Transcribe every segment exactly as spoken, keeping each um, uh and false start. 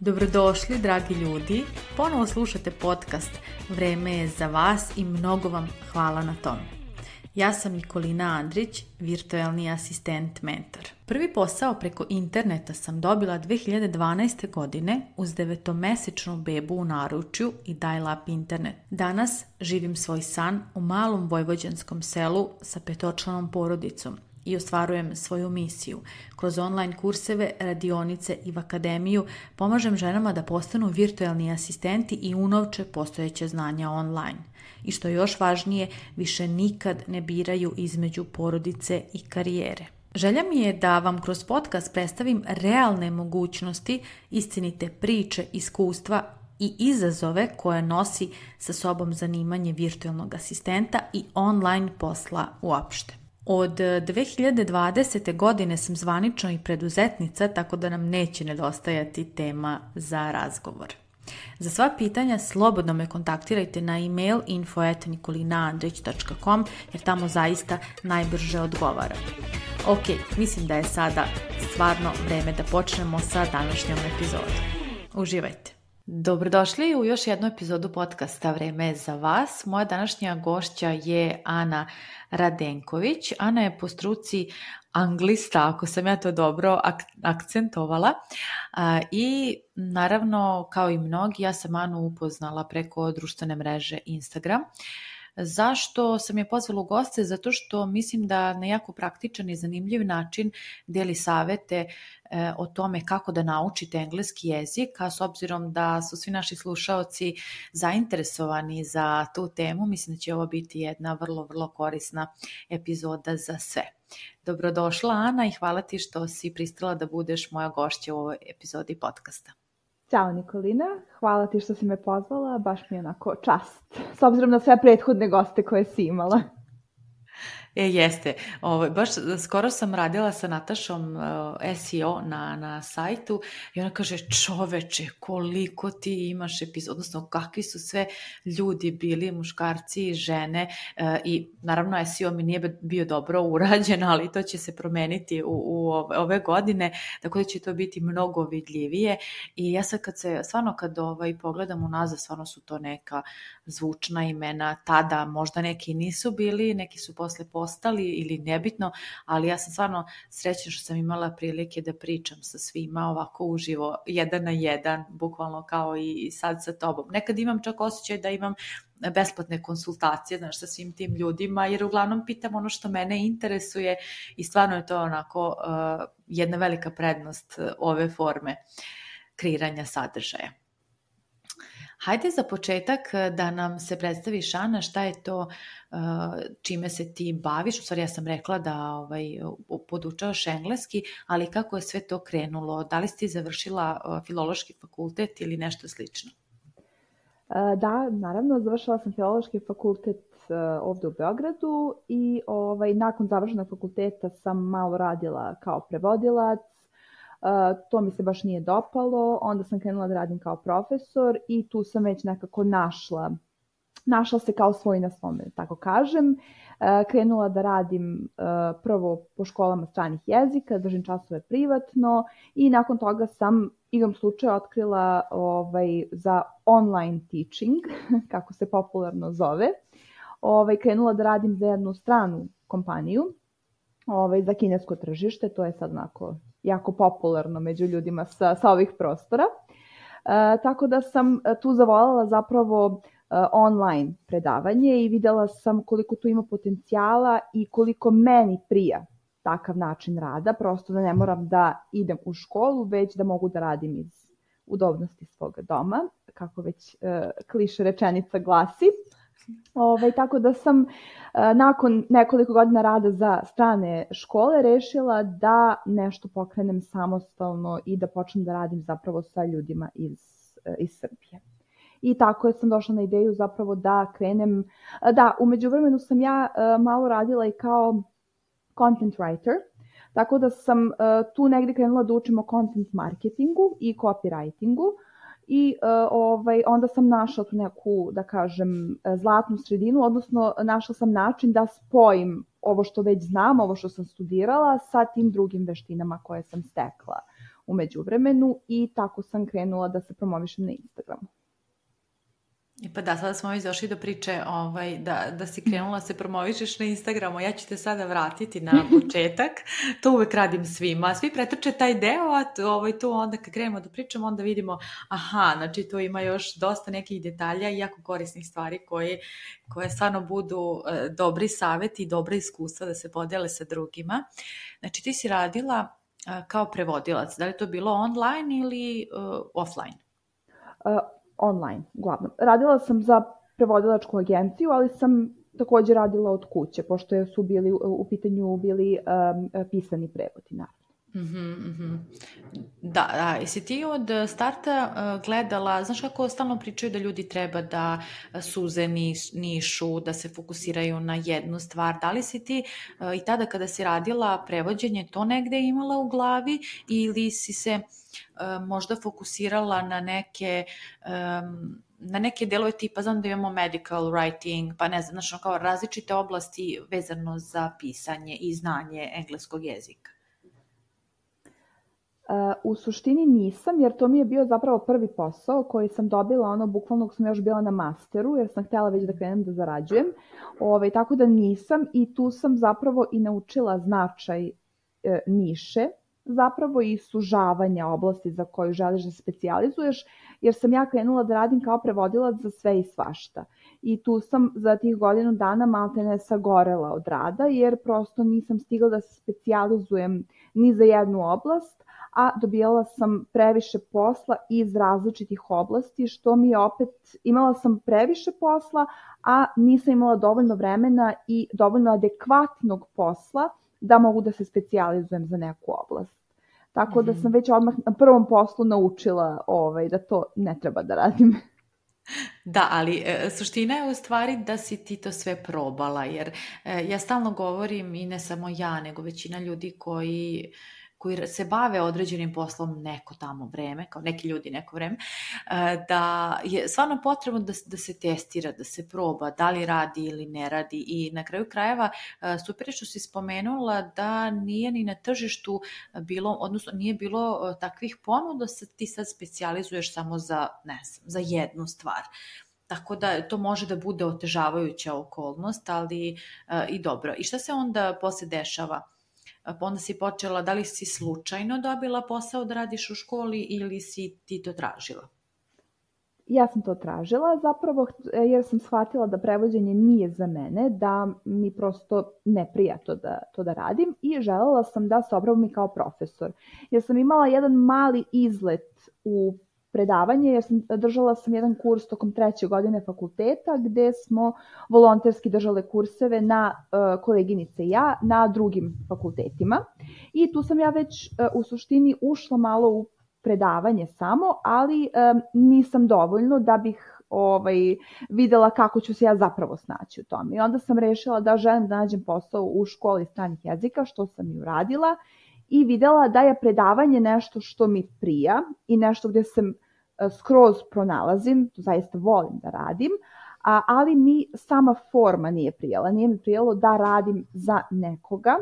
Dobrodošli, dragi ljudi. Ponovo slušate podcast Vreme je za vas i mnogo vam hvala na tome. Ja sam Nikolina Andrić, virtualni asistent mentor. Prvi posao preko interneta sam dobila dve hiljade dvanaeste. godine uz devetomesečnu bebu u naručju i dial-up internet. Danas živim svoj san u malom vojvođanskom selu sa petočlanom porodicom i ostvarujem svoju misiju. Kroz online kurseve, radionice i v akademiju pomažem ženama da postanu virtualni asistenti i unovče postojeće znanja online. I što je još važnije, više nikad ne biraju između porodice i karijere. Želja mi je da vam kroz podcast predstavim realne mogućnosti, istinite priče, iskustva i izazove koje nosi sa sobom zanimanje virtualnog asistenta i online posla uopšte. Od dve hiljade dvadesete. godine sam zvanično i preduzetnica, tako da nam neće nedostajati tema za razgovor. Za sva pitanja slobodno me kontaktirajte na email info at nikolinaandrić dot com jer tamo zaista najbrže odgovaram. Ok, mislim da je sada stvarno vreme da počnemo sa današnjom epizodom. Uživajte! Dobrodošli u još jednu epizodu podcasta Vreme je za vas. Moja današnja gošća je Ana Radenković. Ana je po struci anglista, ako sam ja to dobro ak- akcentovala. A, I naravno, kao i mnogi, ja sam Anu upoznala preko društvene mreže Instagram. Zašto sam je pozvala u goste? Zato što mislim da na jako praktičan i zanimljiv način deli savete e, o tome kako da naučite engleski jezik, a s obzirom da su svi naši slušaoci zainteresovani za tu temu, mislim da će ovo biti jedna vrlo, vrlo korisna epizoda za sve. Dobrodošla, Ana, i hvala ti što si pristala da budeš moja gošća u ovoj epizodi podcasta. Ćao Nikolina, hvala ti što si me pozvala, baš mi je onako čast, s obzirom na sve prethodne goste koje si imala. E, jeste. Ovo, baš skoro sam radila sa Natašom uh, S E O na, na sajtu i ona kaže, čoveče, koliko ti imaš epizod, odnosno kakvi su sve ljudi bili, muškarci i žene, uh, i naravno S E O mi nije bio dobro urađen, ali to će se promeniti u, u ove godine, tako da će to biti mnogo vidljivije. I ja sad kad se, stvarno kad ovaj, pogledam unazad, stvarno su to neka zvučna imena, tada možda neki nisu bili, neki su posle postali ili nebitno, ali ja sam stvarno srećna što sam imala prilike da pričam sa svima ovako uživo, jedan na jedan, bukvalno kao i sad sa tobom. Nekad imam čak osjećaj da imam besplatne konsultacije, znaš, sa svim tim ljudima, jer uglavnom pitam ono što mene interesuje i stvarno je to onako uh, jedna velika prednost ove forme kreiranja sadržaja. Hajde za početak da nam se predstaviš, Ana, šta je to čime se ti baviš. U stvari ja sam rekla da ovaj, podučavaš engleski, ali kako je sve to krenulo? Da li si ti završila filološki fakultet ili nešto slično? Da, naravno, završila sam filološki fakultet ovde u Beogradu i ovaj, nakon završenog fakulteta sam malo radila kao prevodilac. Uh, to mi se baš nije dopalo, onda sam krenula da radim kao profesor i tu sam već nekako našla, našla se kao svoj na svome, tako kažem. Uh, krenula da radim uh, prvo po školama stranih jezika, držim časove privatno i nakon toga sam igrom slučaja otkrila ovaj, za online teaching, kako se popularno zove. Ovaj, krenula da radim za jednu stranu kompaniju, ovaj, za kinesko tržište, to je sad onako jako popularno među ljudima sa, sa ovih prostora. E, tako da sam tu zavoljela zapravo e, online predavanje i videla sam koliko tu ima potencijala i koliko meni prija takav način rada, prosto da ne moram da idem u školu, već da mogu da radim iz udobnosti svoga doma, kako već e, kliše rečenica glasi. Ove, tako da sam e, nakon nekoliko godina rada za strane škole rešila da nešto pokrenem samostalno i da počnem da radim zapravo sa ljudima iz, e, iz Srbije. I tako sam došla na ideju zapravo da krenem, da, u međuvremenu sam ja e, malo radila i kao content writer, tako da sam e, tu negdje krenula da učim o content marketingu i copywritingu i uh, ovaj, onda sam našla tu neku, da kažem, zlatnu sredinu, odnosno našla sam način da spojim ovo što već znam, ovo što sam studirala sa tim drugim veštinama koje sam stekla u međuvremenu i tako sam krenula da se promovišem na Instagramu. I pa da, sada smo već došli do priče ovaj, da, da si krenula se promovišeš na Instagramu. Ja ću te sada vratiti na početak. To uvek radim svima. Svi pretrče taj deo, a to, ovaj, tu onda kad krenemo da pričamo, onda vidimo, aha, znači tu ima još dosta nekih detalja i jako korisnih stvari koje, koje stvarno budu e, dobri savjeti i dobra iskustva da se podele sa drugima. Znači ti si radila e, kao prevodilac. Da li to bilo online ili e, offline? Uh, online, uglavnom. Radila sam za prevodilačku agenciju, ali sam također radila od kuće, pošto su bili u pitanju bili um, pisani prevodi, naravno. Mm-hmm, mm-hmm. Da, da, jesi ti od starta uh, gledala, znaš kako stalno pričaju da ljudi treba da suze niš, nišu, da se fokusiraju na jednu stvar, da li si ti uh, i tada kada si radila prevođenje to negde imala u glavi ili si se uh, možda fokusirala na neke um, na neke delove tipa, znam da imamo medical writing, pa ne znam, znači kao različite oblasti vezano za pisanje i znanje engleskog jezika? Uh, u suštini nisam, jer to mi je bio zapravo prvi posao koji sam dobila, ono, bukvalno dok sam još bila na masteru, jer sam htjela već da krenem da zarađujem. Ove, tako da nisam i tu sam zapravo i naučila značaj e, niše, zapravo i sužavanja oblasti za koju želiš da se specijalizuješ, jer sam ja krenula da radim kao prevodilac za sve i svašta. I tu sam za tih godinu dana maltene sagorela od rada, jer prosto nisam stigla da se specijalizujem ni za jednu oblast, a dobijala sam previše posla iz različitih oblasti, što mi je opet, imala sam previše posla, a nisam imala dovoljno vremena i dovoljno adekvatnog posla da mogu da se specijalizujem za neku oblast. Tako da sam već odmah na prvom poslu naučila ovaj, da to ne treba da radim. Da, ali e, suština je u stvari da si ti to sve probala, jer e, ja stalno govorim, i ne samo ja, nego većina ljudi koji koji se bave određenim poslom neko tamo vreme, kao neki ljudi neko vreme, da je stvarno potrebno da, da se testira, da se proba, da li radi ili ne radi. I na kraju krajeva, super je što si spomenula da nije ni na tržištu bilo, odnosno nije bilo takvih ponuda da ti sad specijalizuješ samo za, ne znam, za jednu stvar. Tako da to može da bude otežavajuća okolnost, ali uh, i dobro. I šta se onda posle dešava? Pa onda si počela, da li si slučajno dobila posao da radiš u školi ili si ti to tražila? Ja sam to tražila zapravo jer sam shvatila da prevođenje nije za mene, da mi prosto ne prija to da, to da radim i želela sam da se obravam kao profesor. Jer sam imala jedan mali izlet u predavanje, jer sam, držala sam jedan kurs tokom treće godine fakulteta gde smo volonterski držale kurseve na uh, koleginice i ja na drugim fakultetima i tu sam ja već uh, u suštini ušla malo u predavanje samo, ali um, nisam dovoljno da bih ovaj, videla kako ću se ja zapravo snaći u tome. I onda sam rešila da želim da nađem posao u školi stranih jezika, što sam i uradila. I videla da je predavanje nešto što mi prija i nešto gdje se skroz pronalazim, to zaista volim da radim, a, ali mi sama forma nije prijala. Nije mi prijalo da radim za nekoga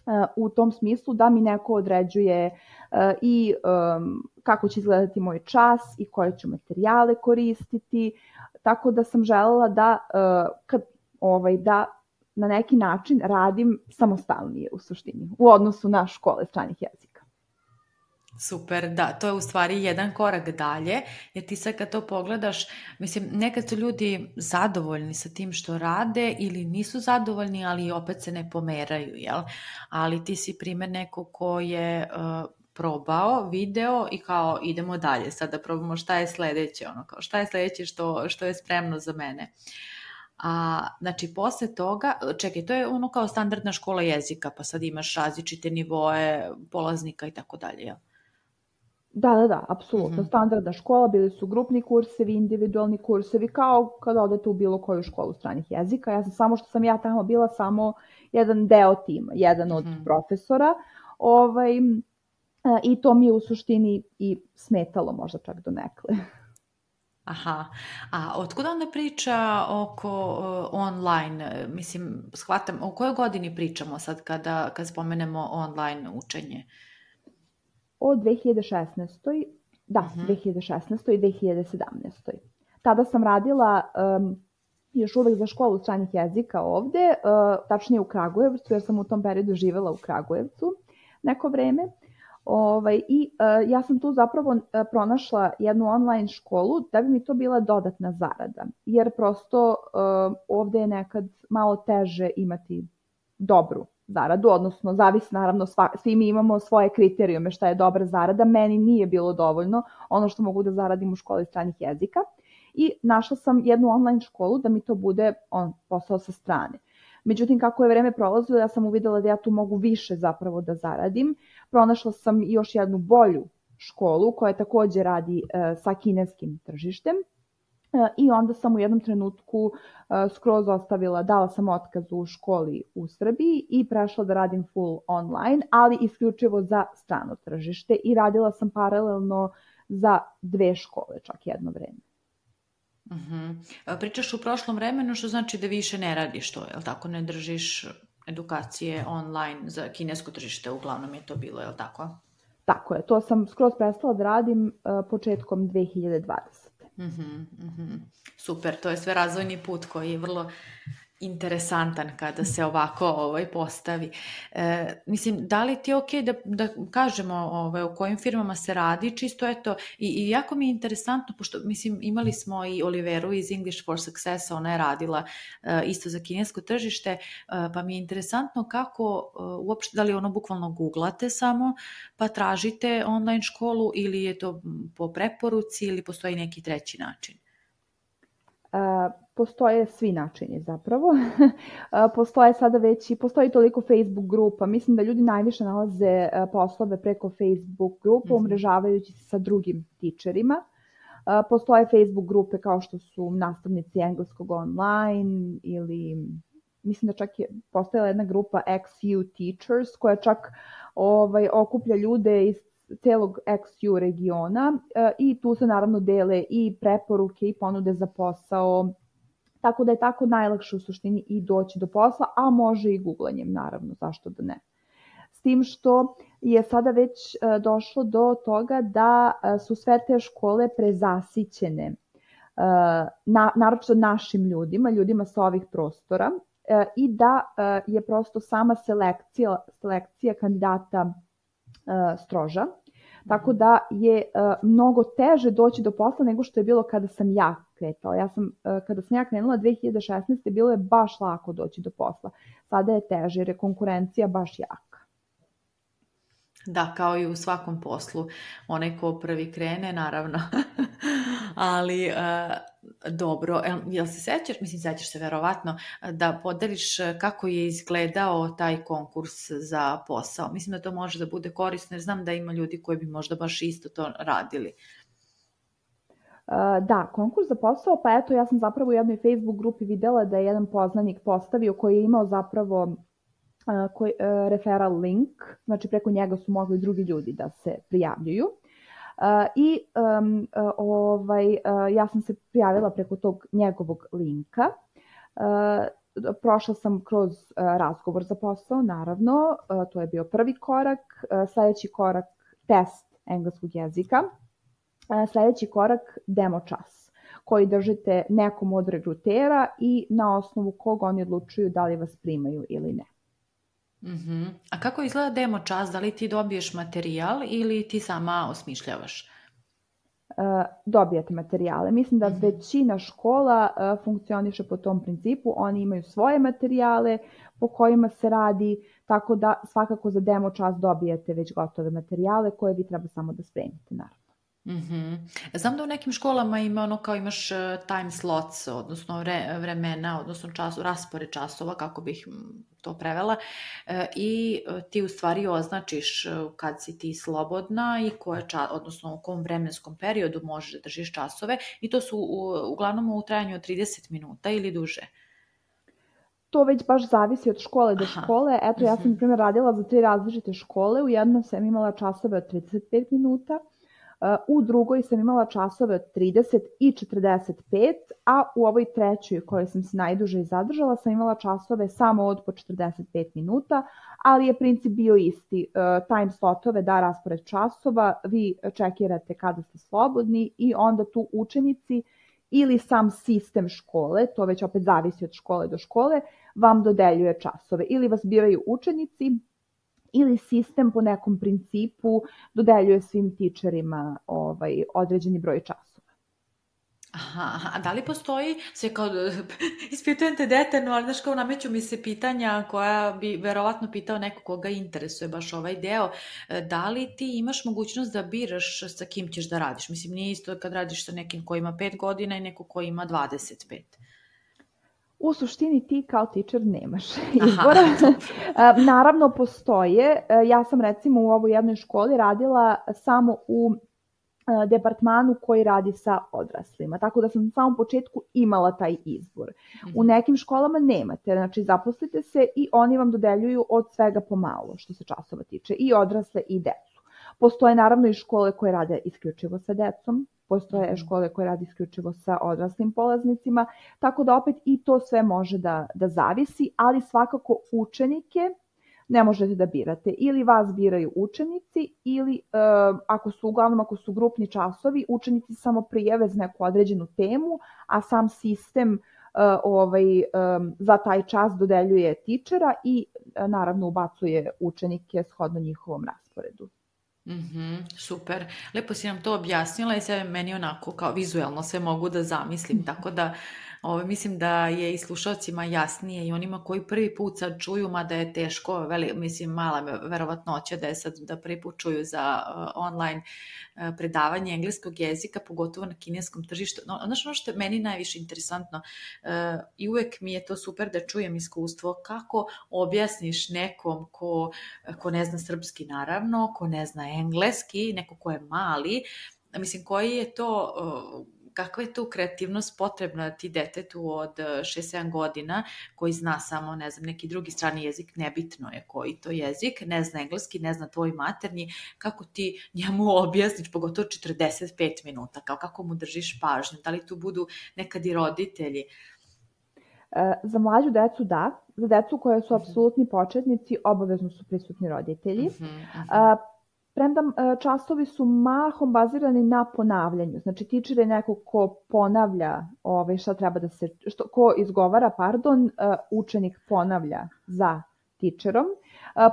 a, u tom smislu da mi neko određuje a, i um, kako će izgledati moj čas i koje ću materijale koristiti, tako da sam želela da, a, kad, ovaj, da na neki način radim samostalnije u suštini, u odnosu na škole stranih jezika. Super, da, to je u stvari jedan korak dalje, jer ti sad kad to pogledaš, mislim, nekad su ljudi zadovoljni sa tim što rade ili nisu zadovoljni, ali opet se ne pomeraju, jel? Ali ti si primjer neko ko je uh, probao, video i kao idemo dalje, sad da probamo šta je sledeće, ono, kao šta je sledeće što, što je spremno za mene. A, znači, posle toga, čekaj, to je ono kao standardna škola jezika, pa sad imaš različite nivoe polaznika i tako dalje, jel? Da, da, da, apsolutno. Mm-hmm. Standardna škola, bili su grupni kursevi, individualni kursevi, kao kada odete u bilo koju školu stranih jezika. Ja sam samo što sam ja tamo bila samo jedan deo tima, jedan mm-hmm. od profesora. Ovaj, i to mi je u suštini i smetalo možda čak donekle. Aha, a otkuda onda priča oko uh, online? Mislim, shvatam, o kojoj godini pričamo sad kada, kad spomenemo online učenje? O dve hiljade šesnaestoj. Da, uh-huh. dve hiljade šesnaestoj i dve hiljade sedamnaestoj. Tada sam radila um, još uvek za školu stranih jezika ovde, uh, tačnije u Kragujevcu, jer sam u tom periodu živela u Kragujevcu neko vreme. Ovaj, I uh, ja sam tu zapravo uh, pronašla jednu online školu da bi mi to bila dodatna zarada, jer prosto uh, ovde je nekad malo teže imati dobru zaradu, odnosno zavisi naravno, sva, svi mi imamo svoje kriterijume šta je dobra zarada, meni nije bilo dovoljno ono što mogu da zaradim u školi stranih jezika i našla sam jednu online školu da mi to bude on, posao sa strane. Međutim, kako je vreme prolazilo, ja sam uvidela da ja tu mogu više zapravo da zaradim. Pronašla sam još jednu bolju školu koja takođe radi e, sa kineskim tržištem. E, I onda sam u jednom trenutku e, skroz ostavila, dala sam otkaz u školi u Srbiji i prešla da radim full online, ali isključivo za strano tržište i radila sam paralelno za dve škole čak jedno vreme. Uh-huh. Pričaš u prošlom vremenu, što znači da više ne radiš to, jel tako, ne držiš edukacije online za kinesko tržište, uglavnom je to bilo, jel tako? Tako je, to sam skroz prestala da radim uh, početkom dve hiljade dvadesete. Uh-huh, uh-huh. Super, to je sve razvojni put koji je vrlo interesantan kada se ovako ovaj, postavi. E, mislim, da li ti je okej da, da kažemo ovaj, o kojim firmama se radi, čisto eto, i, i jako mi je interesantno, pošto mislim, imali smo i Oliveru iz English for Success, ona je radila e, isto za kinesko tržište, e, pa mi je interesantno kako, e, uopšte, da li ono bukvalno googlate samo, pa tražite online školu ili je to po preporuci ili postoji neki treći način? Uh, postoje svi načini zapravo. uh, postoje sada već i postoji toliko Facebook grupa. Mislim da ljudi najviše nalaze uh, poslove preko Facebook grupa, mm-hmm. umrežavajući se sa drugim tičerima. Uh, postoje Facebook grupe kao što su nastavnici engleskog online ili mislim da čak je postojala jedna grupa X U Teachers koja čak ovaj, okuplja ljude iz celog X U regiona e, i tu se naravno dele i preporuke i ponude za posao, tako da je tako najlakše u suštini i doći do posla, a može i googlanjem naravno, zašto da ne. S tim što je sada već e, došlo do toga da e, su sve te škole prezasićene, e, na, naročito našim ljudima, ljudima sa ovih prostora e, i da e, je prosto sama selekcija, selekcija kandidata e, stroža. Tako da je uh, mnogo teže doći do posla nego što je bilo kada sam ja kretala. Ja sam, uh, kada sam ja krenula dve hiljade šesnaeste. bilo je baš lako doći do posla. Sada je teže jer je konkurencija baš jaka. Da, kao i u svakom poslu. Onaj ko prvi krene, naravno. Ali uh, dobro, jel se sećaš, mislim sećaš se verovatno, da podeliš kako je izgledao taj konkurs za posao? Mislim da to može da bude korisno jer znam da ima ljudi koji bi možda baš isto to radili. Uh, da, konkurs za posao, pa eto ja sam zapravo u jednoj Facebook grupi videla da je jedan poznanik postavio koji je imao zapravo uh, koji, uh, referral link, znači preko njega su mogli drugi ljudi da se prijavljuju. Uh, I um, uh, ovaj, uh, ja sam se prijavila preko tog njegovog linka. Uh, prošla sam kroz uh, razgovor za posao, naravno, uh, to je bio prvi korak. Uh, sljedeći korak test engleskog jezika. Uh, sljedeći korak demo čas koji držite nekom od regrutera i na osnovu kog oni odlučuju da li vas primaju ili ne. Uh-huh. A kako izgleda demo čas? Da li ti dobiješ materijal ili ti sama osmišljavaš? Uh, dobijate materijale. Mislim da uh-huh. većina škola uh, funkcioniše po tom principu. Oni imaju svoje materijale po kojima se radi, tako da svakako za demo čas dobijete već gotove materijale koje vi treba samo da spremite, naravno. Mm-hmm. Znam da u nekim školama ima ono kao imaš time slots, odnosno vre, vremena, odnosno čas, raspored časova, kako bih to prevela, e, i ti u stvari označiš kad si ti slobodna i koje čas, odnosno u kom vremenskom periodu možeš da držiš časove i to su u, uglavnom u trajanju od trideset minuta ili duže. to već baš zavisi od škole do škole. Eto, ja sam, na primjer, radila za tri različite škole. U jednom sam imala časove od trideset pet minuta, u drugoj sam imala časove od trideset i četrdeset pet, a u ovoj trećoj kojoj sam se najduže zadržala sam imala časove samo od po četrdeset pet minuta, ali je princip bio isti. Time slotove da raspored časova, vi čekirate kada ste slobodni i onda tu učenici ili sam sistem škole, to već opet zavisi od škole do škole, vam dodeljuje časove. Ili vas biraju učenici, ili sistem po nekom principu dodeljuje svim tičerima ovaj, određeni broj časova. Aha, a da li postoji, sve kao, ispitujem te detaljno, ali znaš kao nameću mi se pitanja koja bi verovatno pitao neko koga interesuje baš ovaj deo, da li ti imaš mogućnost da biraš sa kim ćeš da radiš? Mislim, nije isto kad radiš sa nekim ko ima pet godina i neko ko ima dvadeset pet. U suštini ti kao teacher nemaš izbora. Naravno postoje. Ja sam recimo u ovoj jednoj školi radila samo u departmanu koji radi sa odraslima. Tako da sam na samom početku imala taj izbor. Mm-hmm. U nekim školama nemate. Znači zaposlite se i oni vam dodeljuju od svega pomalo što se časova tiče. I odrasle i decu. Postoje naravno i škole koje rade isključivo sa decom. Postoje škole koje radi isključivo sa odraslim polaznicima, tako da opet i to sve može da, da zavisi, ali svakako učenike ne možete da birate. Ili vas biraju učenici, ili e, ako su uglavnom ako su grupni časovi, učenici samo prijave za neku određenu temu, a sam sistem e, ovaj, e, za taj čas dodeljuje tičera i e, naravno ubacuje učenike shodno njihovom rasporedu. Mm-hmm, super, lepo si nam to objasnila i sve meni onako kao vizuelno sve mogu da zamislim, tako da ovo, mislim da je i slušalcima jasnije i onima koji prvi put sad čuju, mada je teško, veli, mislim mala verovatnoća da je sad da prvi put čuju za uh, online uh, predavanje engleskog jezika, pogotovo na kineskom tržištu. No, znaš ono što je meni najviše interesantno uh, i uvek mi je to super da čujem iskustvo kako objasniš nekom ko, ko ne zna srpski naravno, ko ne zna engleski, neko ko je mali, mislim koji je to... Uh, kakva je tu kreativnost potrebna ti detetu od šest sedam godina koji zna samo, ne znam, neki drugi strani jezik, nebitno je koji to jezik, ne zna engleski, ne zna tvoj maternji, kako ti njemu objasniš, pogotovo četrdeset pet minuta, kao kako mu držiš pažnju, da li tu budu nekad i roditelji? Za mlađu decu da, za decu koje su apsolutni početnici obavezno su prisutni roditelji. Uh-huh, uh-huh. Premda časovi su mahom bazirani na ponavljanju. Znači, teacher je neko ko ponavlja ovaj, šta treba da se, što, ko izgovara, pardon, učenik ponavlja za teacherom.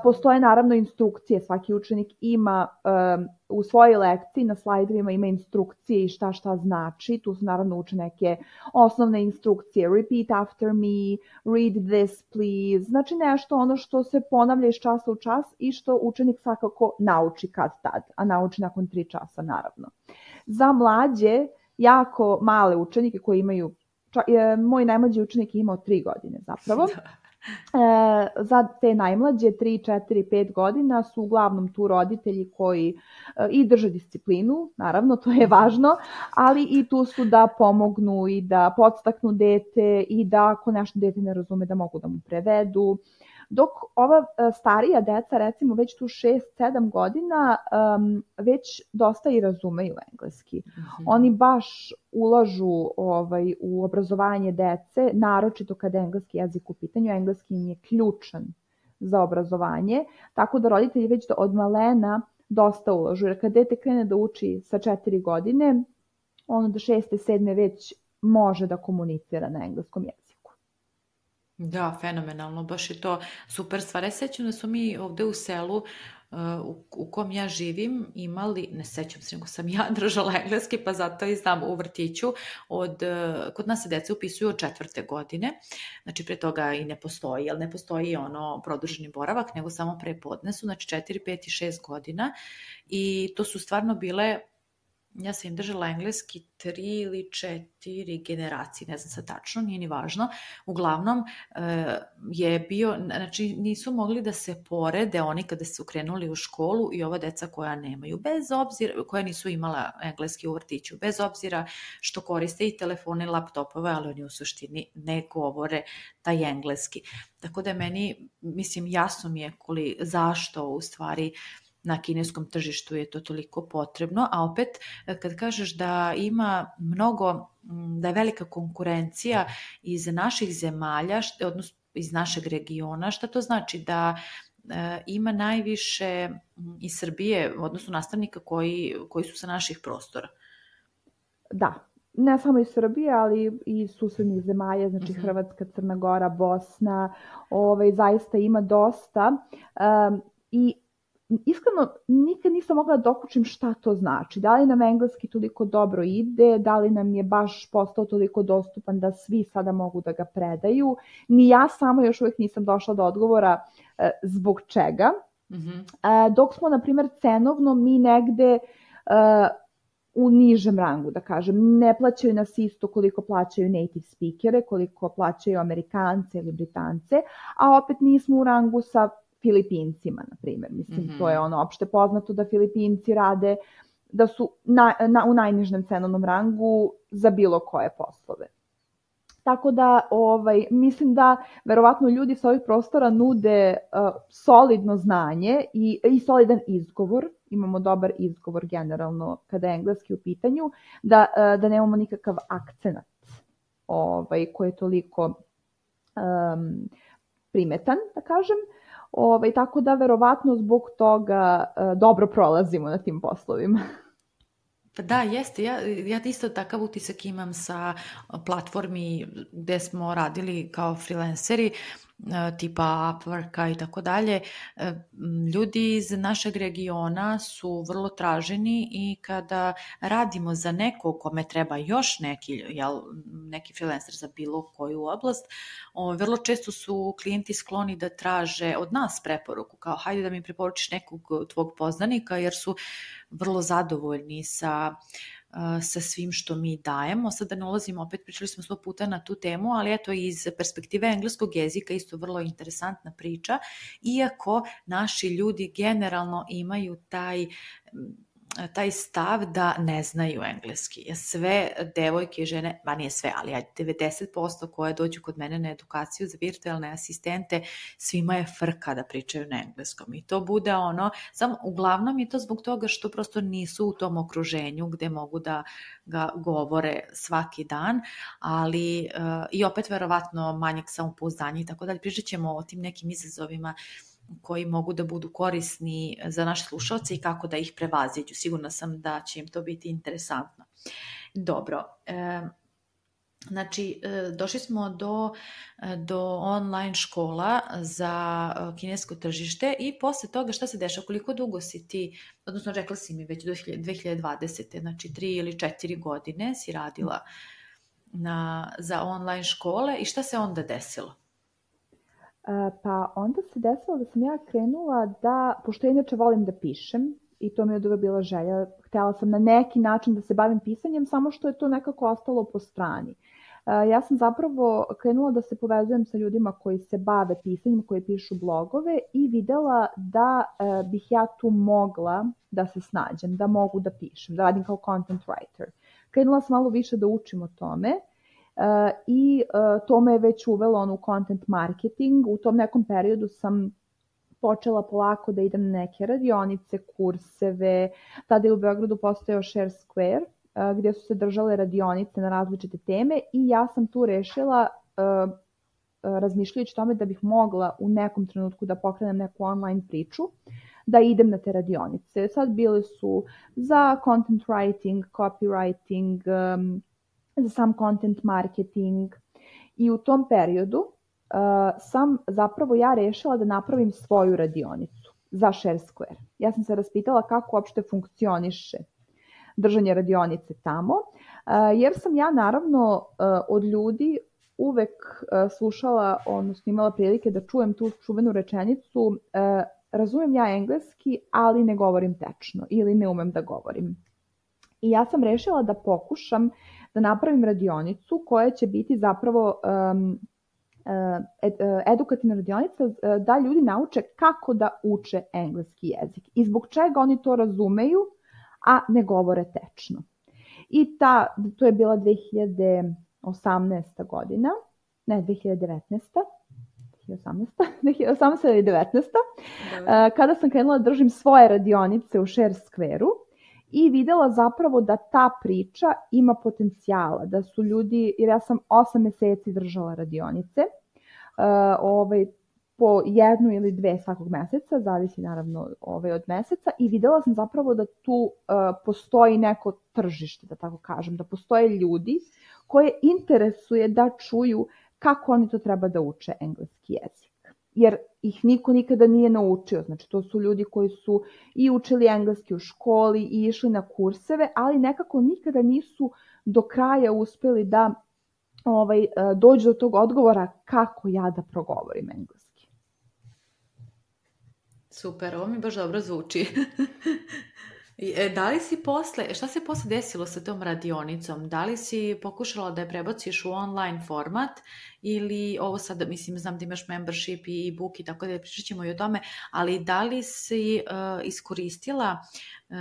Postoje naravno instrukcije, svaki učenik ima um, u svojoj lekciji na slajdovima ima instrukcije i šta šta znači. Tu su naravno uče neke osnovne instrukcije, repeat after me, read this please, znači nešto ono što se ponavlja iz časa u čas i što učenik svakako nauči kad tad, a nauči nakon tri časa naravno. Za mlađe, jako male učenike koji imaju, ča, je, moj najmlađi učenik je imao tri godine zapravo, E, za te najmlađe tri, četiri, pet godina su uglavnom tu roditelji koji e, i drže disciplinu, naravno to je važno, ali i tu su da pomognu i da podstaknu dete i da ako nešto dete ne razume da mogu da mu prevedu. Dok ova starija deca, recimo već tu šest sedam godina, um, već dosta i razumeju engleski. Mm-hmm. Oni baš ulažu ovaj, u obrazovanje dece, naročito kada je engleski jezik u pitanju. Engleski im je ključan za obrazovanje, tako da roditelji već od malena dosta ulažu. Jer kad dete krene da uči sa četiri godine, ono do šeste, sedme već može da komunicira na engleskom jeziku. Da, fenomenalno, baš je to super stvar. Ja sećam da su mi ovde u selu uh, u, u kom ja živim imali, ne sećam se, nego sam ja držala engleski, pa zato i znam u vrtiću, od, uh, kod nas se deca upisuju od četvrte godine, znači pre toga i ne postoji, jer ne postoji ono produženi boravak, nego samo pre podnesu, znači četiri, pet i šest godina i to su stvarno bile ja sam im držala engleski tri ili četiri generacije, ne znam sad tačno, nije ni važno. Uglavnom je bio, znači nisu mogli da se porede oni kada su krenuli u školu i ova deca koja nemaju, bez obzira, koja nisu imala engleski u vrtiću, bez obzira što koriste i telefone i laptopove, ali oni u suštini ne govore taj engleski. Tako da meni, mislim, jasno mi je koli, zašto u stvari na kineskom tržištu je to toliko potrebno, a opet kad kažeš da ima mnogo, da je velika konkurencija iz naših zemalja, odnosno iz našeg regiona, šta to znači? Da e, ima najviše iz Srbije, odnosno nastavnika koji, koji su sa naših prostora? Da, ne samo iz Srbije, ali i iz susednih zemalja, znači uh-huh. Hrvatska, Crna Gora, Bosna, ovaj, zaista ima dosta um, i iskreno, nikad nisam mogla da dokučim šta to znači. Da li nam engleski toliko dobro ide, da li nam je baš postao toliko dostupan da svi sada mogu da ga predaju. Ni ja sama još uvijek nisam došla do odgovora e, zbog čega. Mm-hmm. E, dok smo, na primjer, cenovno mi negde e, u nižem rangu, da kažem. Ne plaćaju nas isto koliko plaćaju native speakere, koliko plaćaju Amerikance ili Britance, a opet nismo u rangu sa Filipincima, na primjer. Mislim, mm-hmm. to je ono opšte poznato da Filipinci rade, da su na, na, u najnižem cenovnom rangu za bilo koje poslove. Tako da, ovaj, mislim da verovatno ljudi sa ovih prostora nude uh, solidno znanje i, i solidan izgovor. Imamo dobar izgovor generalno kada je engleski u pitanju, da, uh, da nemamo nikakav akcenat ovaj, koji je toliko um, primetan, da kažem. Ovaj, tako da verovatno zbog toga e, dobro prolazimo na tim poslovima. Pa da, jeste. Ja, ja isto takav utisak imam sa platformi gde smo radili kao freelanceri, tipa Upworka i tako dalje. Ljudi iz našeg regiona su vrlo traženi i kada radimo za nekog kome treba još neki, jel, neki freelancer za bilo koju oblast, o, vrlo često su klijenti skloni da traže od nas preporuku, kao hajde da mi preporučiš nekog tvog poznanika, jer su vrlo zadovoljni sa sa svim što mi dajemo. Sada ne ulazimo, opet pričali smo sto puta na tu temu, ali eto iz perspektive engleskog jezika isto vrlo interesantna priča, iako naši ljudi generalno imaju taj taj stav da ne znaju engleski. Sve devojke i žene, ba nije sve, ali devedeset posto koje dođu kod mene na edukaciju za virtualne asistente, svima je frka da pričaju na engleskom. I to bude ono, samo uglavnom je to zbog toga što prosto nisu u tom okruženju gde mogu da ga govore svaki dan, ali uh, i opet verovatno manjak samopouzdanja i tako dalje. Pričat ćemo o tim nekim izazovima koji mogu da budu korisni za naše slušalce i kako da ih prevaziđu. Sigurna sam da će im to biti interesantno. Dobro, e, znači e, došli smo do, do online škola za kinesko tržište i posle toga šta se dešava? Koliko dugo si ti, odnosno rekla si mi već do dve hiljade dvadesete, znači tri ili četiri godine si radila na, za online škole i šta se onda desilo? Pa onda se desilo da sam ja krenula da, pošto ja inače volim da pišem i to mi je od uvek bila želja, htjela sam na neki način da se bavim pisanjem, samo što je to nekako ostalo po strani. Ja sam zapravo krenula da se povezujem sa ljudima koji se bave pisanjem, koji pišu blogove i videla da bih ja tu mogla da se snađem, da mogu da pišem, da radim kao content writer. Krenula sam malo više da učim o tome. Uh, i uh, to me je već uvelo on u content marketing. U tom nekom periodu sam počela polako da idem na neke radionice, kurseve. Tada je u Beogradu postojao Share Square, uh, gdje su se držale radionice na različite teme i ja sam tu rešila, uh, razmišljajući tome da bih mogla u nekom trenutku da pokrenem neku online priču, da idem na te radionice. Sad bile su za content writing, copywriting, um, za sam content marketing i u tom periodu uh, sam zapravo ja rešila da napravim svoju radionicu za Share Square. Ja sam se raspitala kako uopšte funkcioniše držanje radionice tamo, uh, jer sam ja naravno uh, od ljudi uvek uh, slušala, odnosno imala prilike da čujem tu čuvenu rečenicu uh, razumijem ja engleski, ali ne govorim tečno ili ne umem da govorim. I ja sam rešila da pokušam da napravim radionicu koja će biti zapravo um, ed, edukativna radionica da ljudi nauče kako da uče engleski jezik i zbog čega oni to razumeju, a ne govore tečno. I ta, to je bila dve hiljade osamnaesta godina, ne dve hiljade devetnaesta dve hiljade osamnaesta dve hiljade osamnaesta ili devetnaesta Dobre. Kada sam krenula da držim svoje radionice u Share Square-u i videla zapravo da ta priča ima potencijala, da su ljudi, jer ja sam osam meseci držala radionice, uh, ovaj, po jednu ili dve svakog meseca, zavisi naravno ovaj, od meseca, i videla sam zapravo da tu uh, postoji neko tržište, da tako kažem, da postoje ljudi koje interesuje da čuju kako oni to treba da uče engleski jezik. Jer ih niko nikada nije naučio. Znači, to su ljudi koji su i učili engleski u školi i išli na kurseve, ali nekako nikada nisu do kraja uspeli da ovaj, dođu do tog odgovora kako ja da progovorim engleski. Super, ovo mi baš dobro zvuči. Da li si posle, šta se posle desilo sa tom radionicom? Da li si pokušala da je prebaciš u online format ili ovo sad, mislim, znam da imaš membership i e-book i tako da pričat ćemo i o tome, ali da li si uh, iskoristila uh,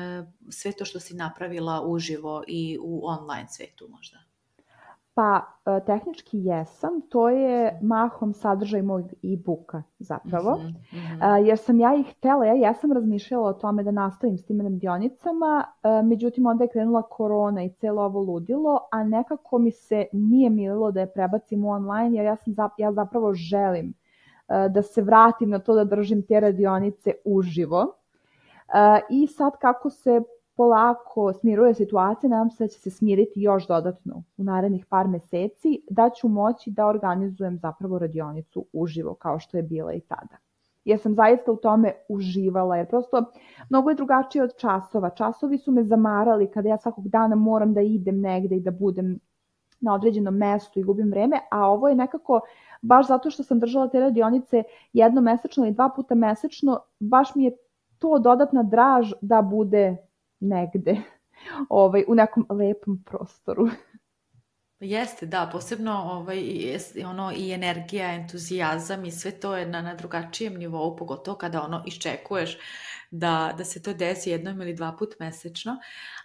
sve to što si napravila uživo i u online svetu možda? Pa, tehnički jesam, to je mahom sadržaj mojeg e-booka zapravo, mm-hmm. jer sam ja ih htela, ja jesam razmišljala o tome da nastavim s tim radionicama, međutim onda je krenula korona i celo ovo ludilo, a nekako mi se nije mililo da je prebacim u online, jer ja, sam, ja zapravo želim da se vratim na to da držim te radionice uživo. I sad kako se polako smiruje situacija, nadam se da će se smiriti još dodatno u narednih par meseci, da ću moći da organizujem zapravo radionicu uživo kao što je bila i tada. Jer sam zaista u tome uživala, jer prosto mnogo je drugačije od časova. Časovi su me zamarali kada ja svakog dana moram da idem negde i da budem na određenom mestu i gubim vreme, a ovo je nekako, baš zato što sam držala te radionice jednom mesečno i dva puta mesečno, baš mi je to dodatna draž da bude negde, ovaj, u nekom lepom prostoru. Jeste, da, posebno ovaj, ono, i energija, entuzijazam i sve to je na, na drugačijem nivou, pogotovo kada ono iščekuješ da, da se to desi jednom ili dva put mesečno.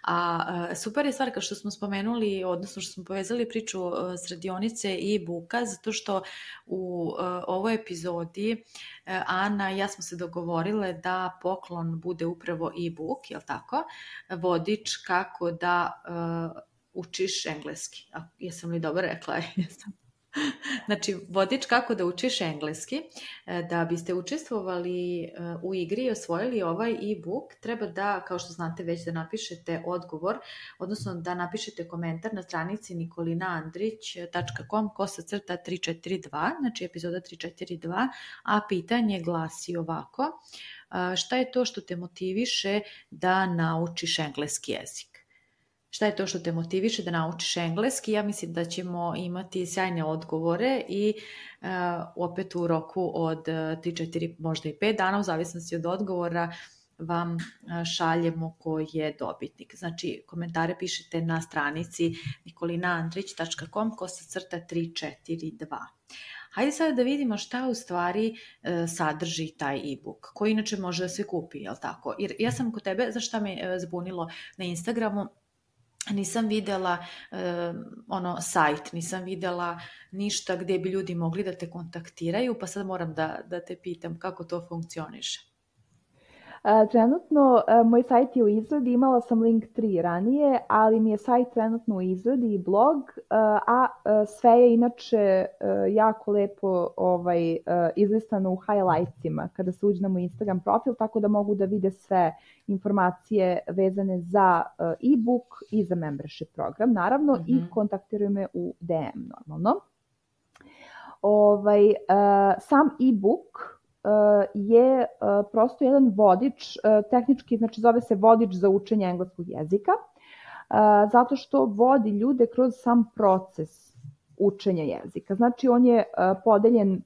A super je stvar kao što smo spomenuli, odnosno što smo povezali priču s radionice i e-booka, zato što u ovoj epizodi Ana i ja smo se dogovorile da poklon bude upravo e-book, jel tako? Vodič kako da uh, učiš engleski. A, jesam li dobro rekla? Jesam. Znači, vodič kako da učiš engleski. Da biste učestvovali u igri i osvojili ovaj e-book, treba da, kao što znate već, da napišete odgovor, odnosno da napišete komentar na stranici nikolina andrić tačka com kosa crta tri četiri dva, znači epizoda tri četiri dva, a pitanje glasi ovako: šta je to što te motiviše da naučiš engleski jezik? Šta je to što te motiviše da naučiš engleski? Ja mislim da ćemo imati sjajne odgovore i uh, opet u roku od tri četiri, možda i pet dana, u zavisnosti od odgovora, vam šaljemo ko je dobitnik. Znači, komentare pišete na stranici nikolina andrić tačka com kosa crta tri četiri dva. Hajde sada da vidimo šta u stvari uh, sadrži taj e-book, koji inače može da se kupi, jel tako? Jer ja sam kod tebe, zašto me uh, zbunilo na Instagramu, nisam videla uh, ono sajt, nisam videla ništa gdje bi ljudi mogli da te kontaktiraju, pa sad moram da, da te pitam kako to funkcioniše. Trenutno moj sajt je u izradi, imala sam link tri ranije, ali mi je sajt trenutno u izradi i blog, a sve je inače jako lepo ovaj, izlistano u highlightsima kada se uđe na moj Instagram profil, tako da mogu da vide sve informacije vezane za e-book i za membership program, naravno, mm-hmm. i kontaktiraju me u D M normalno. Ovaj, sam e-book je prosto jedan vodič, tehnički znači zove se vodič za učenje engleskog jezika, zato što vodi ljude kroz sam proces učenja jezika. Znači on je podeljen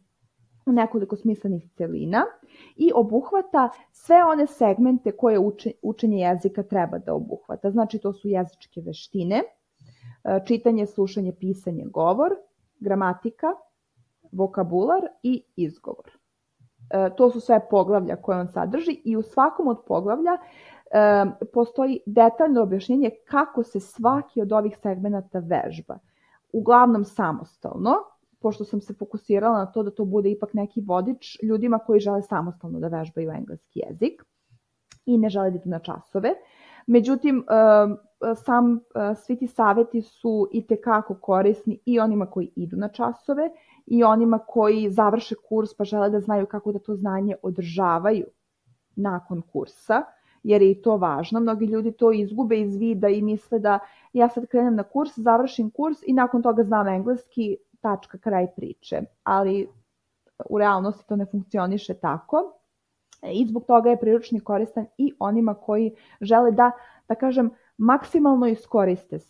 u nekoliko smislenih celina i obuhvata sve one segmente koje učenje jezika treba da obuhvata. Znači to su jezičke veštine, čitanje, slušanje, pisanje, govor, gramatika, vokabular i izgovor. To su sve poglavlja koje on sadrži i u svakom od poglavlja postoji detaljno objašnjenje kako se svaki od ovih segmenata vežba. Uglavnom samostalno, pošto sam se fokusirala na to da to bude ipak neki vodič ljudima koji žele samostalno da vežbaju engleski jezik i ne žele da idu na časove. Međutim, sam, svi ti savjeti su itekako korisni i onima koji idu na časove i onima koji završe kurs pa žele da znaju kako da to znanje održavaju nakon kursa, jer je i to važno. Mnogi ljudi to izgube iz vida i misle da ja sad krenem na kurs, završim kurs i nakon toga znam engleski, tačka, kraj priče. Ali u realnosti to ne funkcioniše tako i zbog toga je priručnik koristan i onima koji žele da, da kažem, maksimalno iskoriste uh,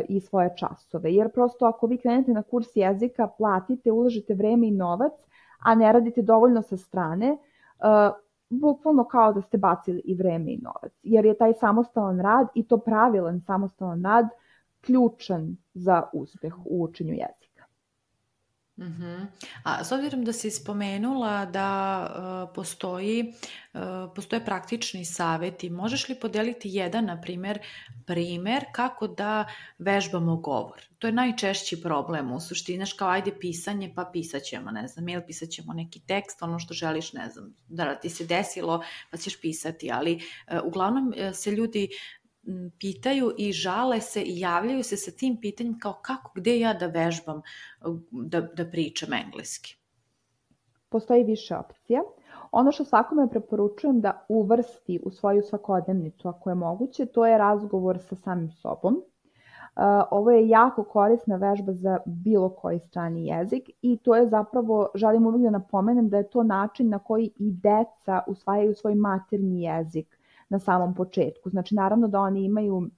i svoje časove. Jer prosto ako vi krenete na kurs jezika, platite, uložite vreme i novac, a ne radite dovoljno sa strane, uh, bukvalno kao da ste bacili i vreme i novac. Jer je taj samostalan rad i to pravilan samostalan rad ključan za uspeh u učenju jezika. Uh-huh. A s obzirom da si spomenula da uh, postoji, uh, postoje praktični savjeti, možeš li podeliti jedan, na primjer, primjer kako da vežbamo govor? To je najčešći problem u suštini, znaš, kao ajde pisanje, pa pisat ćemo, ne znam, ili pisat ćemo neki tekst, ono što želiš, ne znam, da ti se desilo, pa ćeš pisati, ali uh, uglavnom uh, se ljudi pitaju i žale se i javljaju se sa tim pitanjem kao kako, gdje ja da vežbam, da, da pričam engleski. Postoji više opcija. Ono što svakome preporučujem da uvrsti u svoju svakodnevnicu, ako je moguće, to je razgovor sa samim sobom. Ovo je jako korisna vežba za bilo koji strani jezik i to je zapravo, želim uvijek da napomenem da je to način na koji i deca usvajaju svoj maternji jezik na samom početku. Znači, naravno da oni imaju,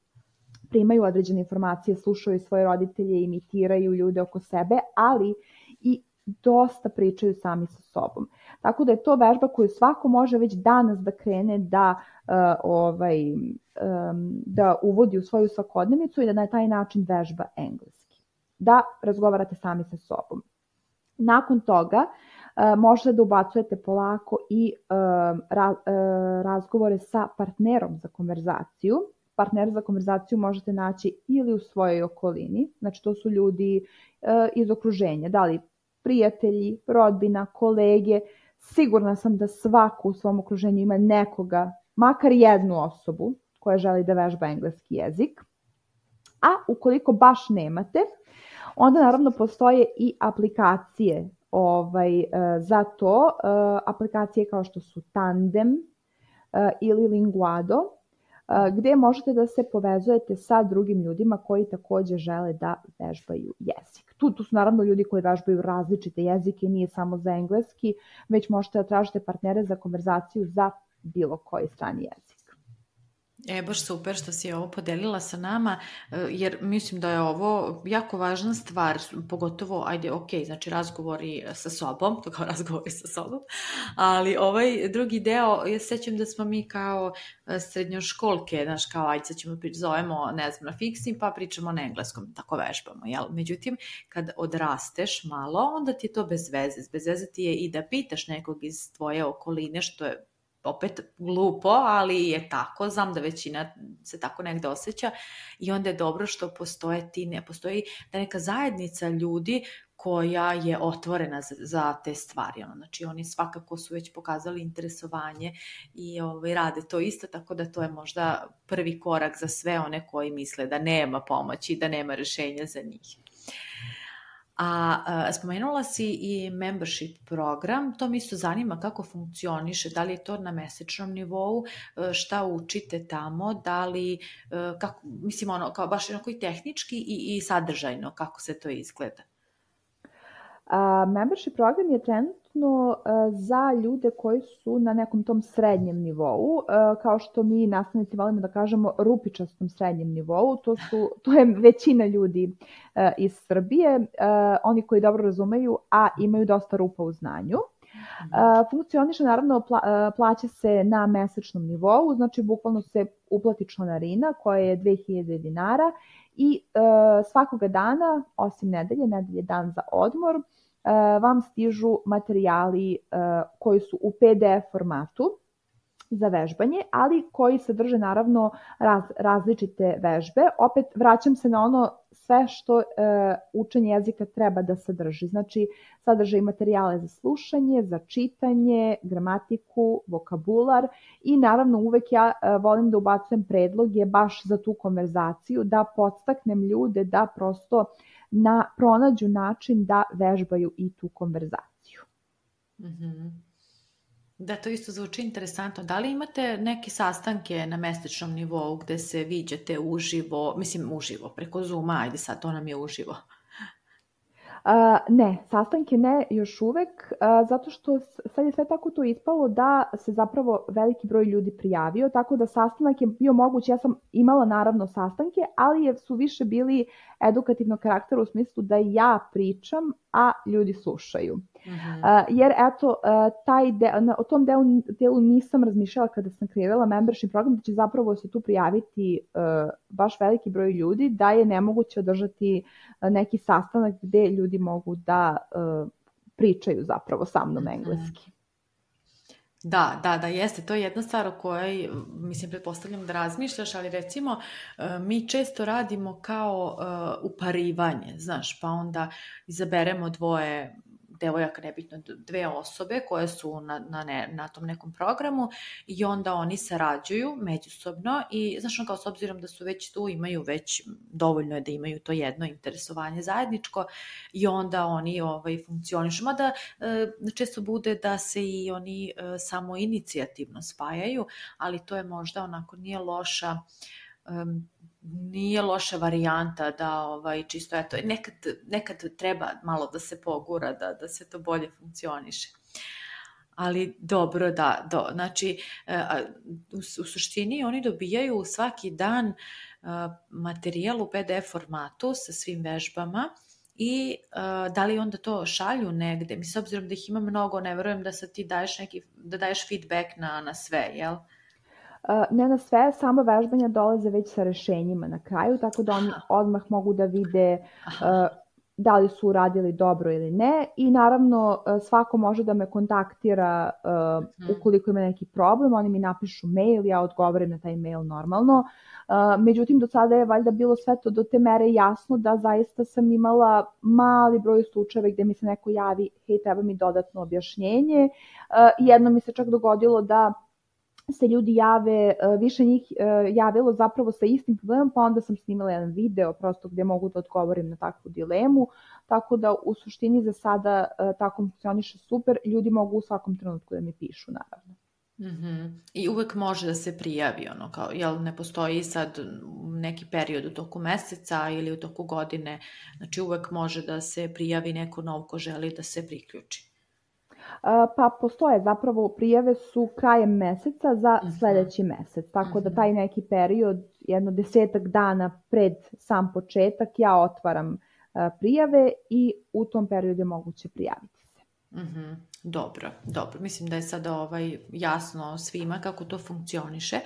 primaju određene informacije, slušaju svoje roditelje, imitiraju ljude oko sebe, ali i dosta pričaju sami sa sobom. Tako da je to vežba koju svako može već danas da krene da, uh, ovaj, um, da uvodi u svoju svakodnevnicu i da na taj način vežba engleski. Da razgovarate sami sa sobom. Nakon toga uh, možete da ubacujete polako i uh, ra, uh, razgovore sa partnerom za konverzaciju. Partner za konverzaciju možete naći ili u svojoj okolini, znači to su ljudi uh, iz okruženja, da li prijatelji, rodbina, kolege. Sigurna sam da svako u svom okruženju ima nekoga, makar jednu osobu koja želi da vežba engleski jezik. A ukoliko baš nemate, onda naravno postoje i aplikacije ovaj, za to. Aplikacije kao što su Tandem ili Linguado, gdje možete da se povezujete sa drugim ljudima koji također žele da vežbaju jezik. Tu, tu su naravno ljudi koji vežbaju različite jezike, nije samo za engleski, već možete da tražite partnere za konverzaciju za bilo koji strani jezik. E, baš super što si ovo podelila sa nama, jer mislim da je ovo jako važna stvar, pogotovo, ajde, ok, znači razgovori sa sobom, to kao razgovori sa sobom, ali ovaj drugi deo, ja sećam da smo mi kao srednjoškolke, znaš, kao, ajde, sad ćemo zovemo, ne znam, na fiksni, pa pričamo na engleskom, tako vežbamo, jel? Međutim, kad odrasteš malo, onda ti je to bez veze, bez veze ti je i da pitaš nekog iz tvoje okoline, što je opet glupo, ali je tako, znam da većina se tako negde osjeća i onda je dobro što postoje ti, ne postoji da neka zajednica ljudi koja je otvorena za, za te stvari. Znači oni svakako su već pokazali interesovanje i ovaj, rade to isto, tako da to je možda prvi korak za sve one koji misle da nema pomoći, da nema rješenja za njih. A, a spomenula si i membership program, to mi isto zanima kako funkcioniše, da li je to na mesečnom nivou, šta učite tamo, da li, kako, mislim ono, kao baš onako i tehnički i, i sadržajno, kako se to izgleda? Uh, membership program je trenutno uh, za ljude koji su na nekom tom srednjem nivou, uh, kao što mi nastavnici volimo da kažemo rupičastom srednjem nivou, to, su, to je većina ljudi uh, iz Srbije, uh, oni koji dobro razumeju, a imaju dosta rupa u znanju. Funkcioniše, naravno, plaća se na mesečnom nivou, znači bukvalno se uplati članarina koja je dve hiljade dinara i svakoga dana, osim nedelje, nedelje dan za odmor, vam stižu materijali koji su u P D F formatu za vežbanje, ali koji sadrže naravno raz, različite vežbe. Opet vraćam se na ono sve što e, učenje jezika treba da sadrži. Znači, sadrže i materijale za slušanje, za čitanje, gramatiku, vokabular i naravno uvek ja e, volim da ubacujem predloge baš za tu konverzaciju, da podstaknem ljude da prosto na, pronađu način da vežbaju i tu konverzaciju. Mm-hmm. Da, to isto zvuči interesantno. Da li imate neke sastanke na mesečnom nivou gde se viđate uživo, mislim uživo, preko Zooma, ajde sad, to nam je uživo? Uh, ne, sastanke ne još uvek, uh, zato što sad je sve tako to ispalo da se zapravo veliki broj ljudi prijavio, tako da sastanak je bio moguć. Ja sam imala naravno sastanke, ali su više bili edukativnog karaktera u smislu da ja pričam, a ljudi slušaju. Uh-huh. Uh, jer eto, uh, taj de, na, o tom delu, delu nisam razmišljala kada sam kreirala membership program, da će zapravo se tu prijaviti uh, baš veliki broj ljudi, da je nemoguće održati uh, neki sastanak gde ljudi mogu da uh, pričaju zapravo sa mnom engleski. Da, da, da, jeste. To je jedna stvar o kojoj, mislim, pretpostavljam da razmišljaš, ali recimo mi često radimo kao uh, uparivanje, znaš, pa onda izaberemo dvoje devojaka, nebitno, dve osobe koje su na, na, ne, na tom nekom programu i onda oni sarađuju međusobno i znaš, kao s obzirom da su već tu, imaju već, dovoljno je da imaju to jedno interesovanje zajedničko i onda oni ovaj, funkcionišu. Mada e, često bude da se i oni e, samo inicijativno spajaju, ali to je možda onako nije loša um, nije loša varijanta da ovaj, čisto eto, nekad, nekad treba malo da se pogura, da, da se to bolje funkcioniše. Ali dobro, da, do, znači u, u suštini oni dobijaju svaki dan materijal u P D F formatu sa svim vežbama i uh, da li onda to šalju negde? Mi s obzirom da ih ima mnogo, ne verujem da sad ti daješ neki, da daješ feedback na, na sve, jel? Ne na sve, samo vežbanja dolaze već sa rešenjima na kraju, tako da oni odmah mogu da vide uh, da li su uradili dobro ili ne i naravno svako može da me kontaktira uh, ukoliko ima neki problem, oni mi napišu mail, ja odgovorim na taj mail normalno. Uh, međutim, do sada je valjda bilo sve to do te mere jasno da zaista sam imala mali broj slučajeva gde mi se neko javi, hej, treba mi dodatno objašnjenje. Uh, jedno mi se čak dogodilo da se ljudi jave, više njih javilo zapravo sa istim problemom, pa onda sam snimala jedan video prosto gde mogu da odgovorim na takvu dilemu, tako da u suštini za sada tako funkcioniše super, ljudi mogu u svakom trenutku da mi pišu, naravno. Mm-hmm. I uvek može da se prijavi, ono, kao, jel ne postoji sad neki period u toku meseca ili u toku godine, znači uvek može da se prijavi neko nov ko želi da se priključi. Pa postoje, zapravo prijave su krajem meseca za sledeći mesec, tako da taj neki period, jedno desetak dana pred sam početak, ja otvaram prijave i u tom periodu je moguće prijaviti se. Mm-hmm. Dobro, dobro. Mislim da je sada ovaj jasno svima kako to funkcioniše.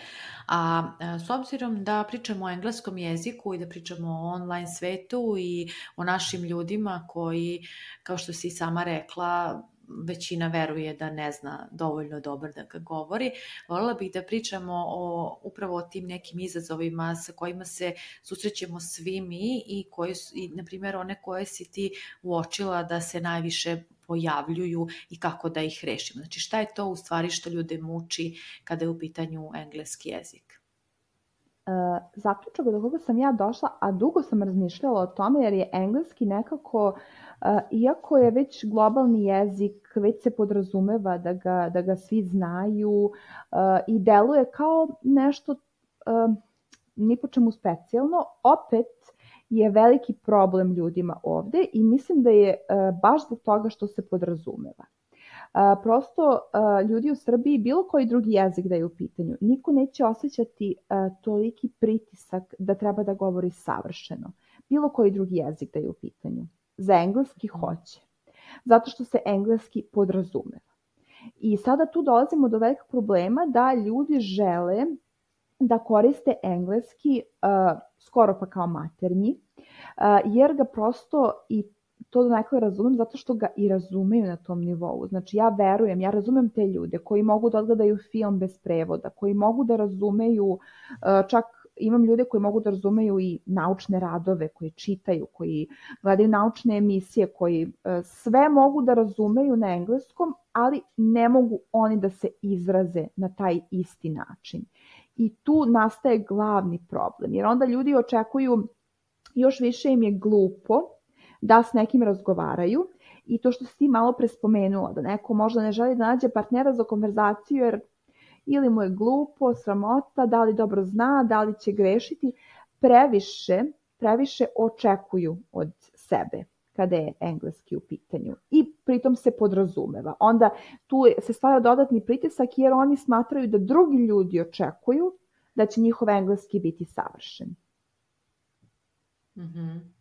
A s obzirom da pričamo o engleskom jeziku i da pričamo o online svetu i o našim ljudima koji, kao što si sama rekla, većina veruje da ne zna dovoljno dobro da ga govori. Voljela bih da pričamo o, upravo o tim nekim izazovima sa kojima se susrećemo svi mi i, koji, i na primjer, one koje si ti uočila da se najviše pojavljuju i kako da ih rešimo. Znači, šta je to u stvari što ljude muči kada je u pitanju engleski jezik? Uh, zaključak do koga sam ja došla, a dugo sam razmišljala o tome jer je engleski nekako, uh, iako je već globalni jezik, već se podrazumeva da ga, da ga svi znaju uh, i deluje kao nešto uh, ni po čemu specijalno, opet je veliki problem ljudima ovde i mislim da je uh, baš zbog toga što se podrazumeva. Uh, prosto uh, ljudi u Srbiji, bilo koji drugi jezik da je u pitanju, niko neće osjećati uh, toliki pritisak da treba da govori savršeno. Bilo koji drugi jezik da je u pitanju. Za engleski hoće. Zato što se engleski podrazumeva. I sada tu dolazimo do velikog problema da ljudi žele da koriste engleski uh, skoro pa kao maternji, uh, jer ga prosto i to donekle razumem zato što ga i razumeju na tom nivou. Znači ja verujem, ja razumem te ljude koji mogu da odgledaju film bez prevoda, koji mogu da razumeju, uh, čak imam ljude koji mogu da razumeju i naučne radove, koji čitaju, koji gledaju naučne emisije, koji uh, sve mogu da razumeju na engleskom, ali ne mogu oni da se izraze na taj isti način. I tu nastaje glavni problem, jer onda ljudi očekuju, još više im je glupo da s nekim razgovaraju i to što si ti malo pre spomenula, da neko možda ne želi da nađe partnera za konverzaciju jer ili mu je glupo, sramota, da li dobro zna, da li će grešiti, previše, previše očekuju od sebe kada je engleski u pitanju i pritom se podrazumeva. Onda tu se stvara dodatni pritisak jer oni smatraju da drugi ljudi očekuju da će njihov engleski biti savršen. Mm-hmm.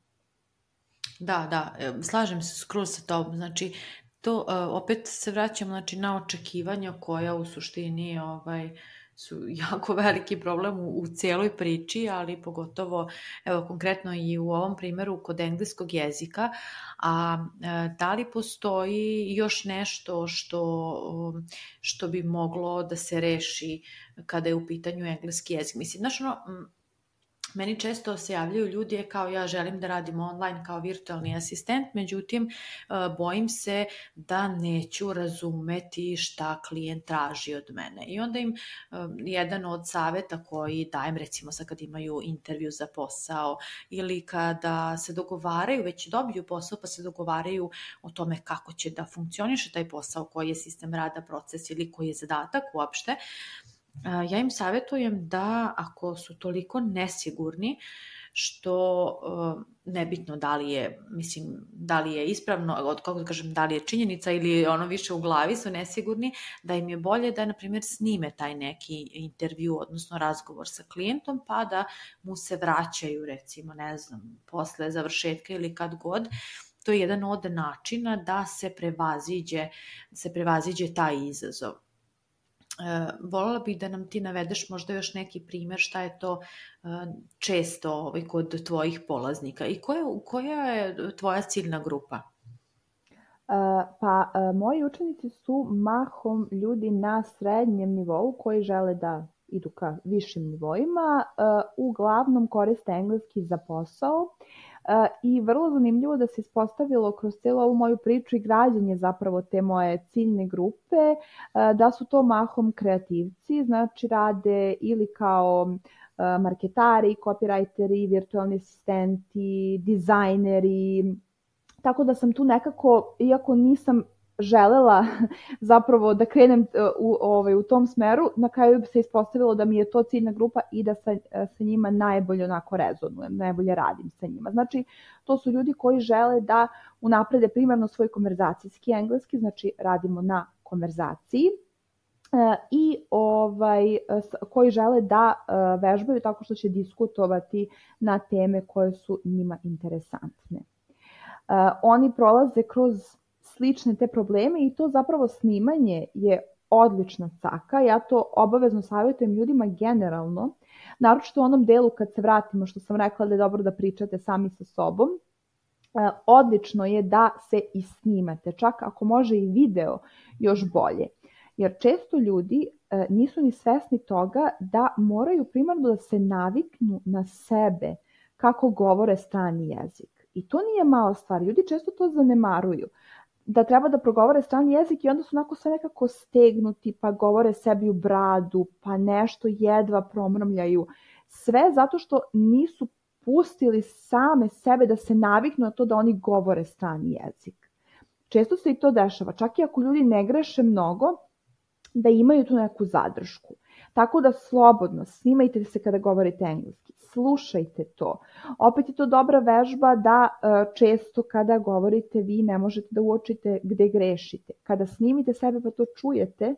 Da, da, slažem se skroz sa tobom. Znači, to opet se vraćam znači, na očekivanja koja u suštini ovaj, su jako veliki problem u, u cijeloj priči, ali pogotovo, evo, konkretno i u ovom primjeru kod engleskog jezika. A da li postoji još nešto što, što bi moglo da se reši kada je u pitanju engleski jezik? Mislim, znaš, ono, meni često se javljaju ljudi kao ja želim da radim online kao virtualni asistent, međutim bojim se da neću razumeti šta klijent traži od mene. I onda im jedan od savjeta koji dajem, recimo sad kad imaju intervju za posao ili kada se dogovaraju, već dobiju posao pa se dogovaraju o tome kako će da funkcioniše taj posao, koji je sistem rada, proces ili koji je zadatak uopšte, ja im savjetujem da ako su toliko nesigurni, što nebitno da li je, mislim, da li je ispravno, od kako da kažem, da li je činjenica ili ono više u glavi su nesigurni, da im je bolje da, na primjer, snime taj neki intervju, odnosno razgovor sa klijentom, pa da mu se vraćaju, recimo, ne znam, posle završetka ili kad god. To je jedan od načina da se prevaziđe, se prevaziđe taj izazov. Voljela bih da nam ti navedeš možda još neki primjer šta je to često ovaj, kod tvojih polaznika i koja, koja je tvoja ciljna grupa? Pa moji učenici su mahom ljudi na srednjem nivou koji žele da idu ka višim nivoima, uglavnom koriste engleski za posao. I vrlo zanimljivo da se ispostavilo kroz cijelu ovu moju priču i građenje zapravo te moje ciljne grupe, da su to mahom kreativci, znači rade ili kao marketari, copywriteri, virtualni asistenti, dizajneri, tako da sam tu nekako, iako nisam želela zapravo da krenem u, ovaj, u tom smeru, na kraju bi se ispostavilo da mi je to ciljna grupa i da sa, sa njima najbolje onako rezonujem, najbolje radim sa njima. Znači, to su ljudi koji žele da unaprede primarno svoj konverzacijski engleski, znači radimo na konverzaciji, i ovaj, koji žele da vežbaju tako što će diskutovati na teme koje su njima interesantne. Oni prolaze kroz slične te probleme i to zapravo snimanje je odlična caka. Ja to obavezno savjetujem ljudima generalno, naročito u onom delu kad se vratimo, što sam rekla da je dobro da pričate sami sa sobom. Odlično je da se i snimate, čak ako može i video još bolje. Jer često ljudi nisu ni svesni toga da moraju primarno da se naviknu na sebe kako govore strani jezik. I to nije mala stvar, ljudi često to zanemaruju. Da treba da progovore strani jezik i onda su onako sve nekako stegnuti, pa govore sebi u bradu, pa nešto jedva promrmljaju. Sve zato što nisu pustili same sebe da se naviknu na to da oni govore strani jezik. Često se i to dešava, čak i ako ljudi ne greše mnogo, da imaju tu neku zadršku. Tako da slobodno snimajte se kada govorite engleski, slušajte to. Opet je to dobra vežba da često kada govorite vi ne možete da uočite gde grešite. Kada snimite sebe pa to čujete,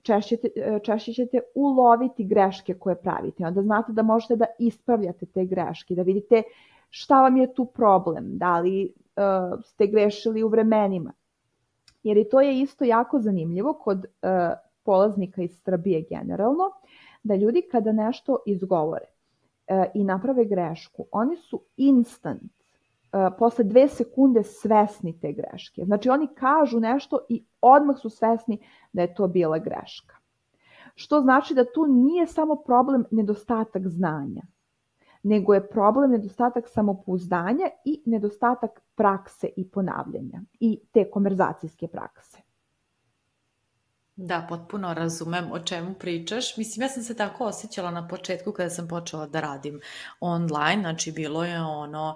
češće, češće ćete uloviti greške koje pravite. Onda znate da možete da ispravljate te greške, da vidite šta vam je tu problem, da li ste grešili u vremenima. jer i to je isto jako zanimljivo kod uh, polaznika iz Srbije generalno, da ljudi kada nešto izgovore uh, i naprave grešku, oni su instant, uh, posle dve sekunde svesni te greške. Znači oni kažu nešto i odmah su svesni da je to bila greška. Što znači da tu nije samo problem nedostatak znanja, nego je problem nedostatak samopouzdanja i nedostatak prakse i ponavljanja i te konverzacijske prakse. Da, potpuno razumem o čemu pričaš. Mislim, ja sam se tako osjećala na početku kada sam počela da radim online, znači bilo je ono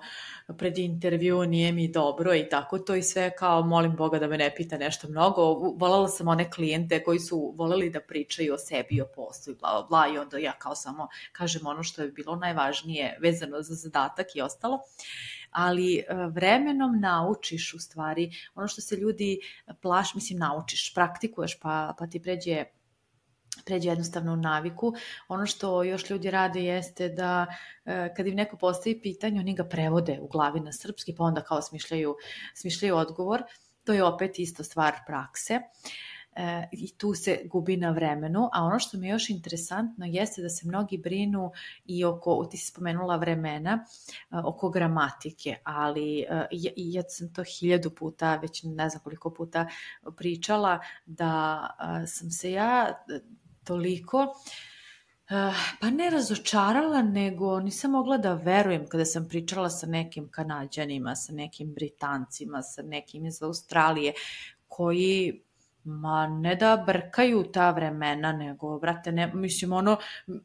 pred intervju, nije mi dobro i tako to i sve kao molim Boga da me ne pita nešto mnogo. Volela sam one klijente koji su voleli da pričaju o sebi, o poslu i bla, bla, bla i onda ja kao samo kažem ono što je bilo najvažnije vezano za zadatak i ostalo. Ali vremenom naučiš u stvari ono što se ljudi plaš, mislim naučiš, praktikuješ pa, pa ti pređe, pređe jednostavno u naviku. Ono što još ljudi rade jeste da kad im neko postavi pitanje, oni ga prevode u glavi na srpski pa onda kao smišljaju, smišljaju odgovor. To je opet isto stvar prakse. E, i tu se gubi na vremenu, a ono što mi je još interesantno jeste da se mnogi brinu i oko, ti si spomenula vremena, oko gramatike, ali ja, ja sam to hiljadu puta, već ne znam koliko puta pričala, da sam se ja toliko pa ne razočarala, nego nisam mogla da verujem kada sam pričala sa nekim Kanađanima, sa nekim Britancima, sa nekim iz Australije, koji ma ne da brkaju ta vremena, nego, brate, ne, mislim, ono,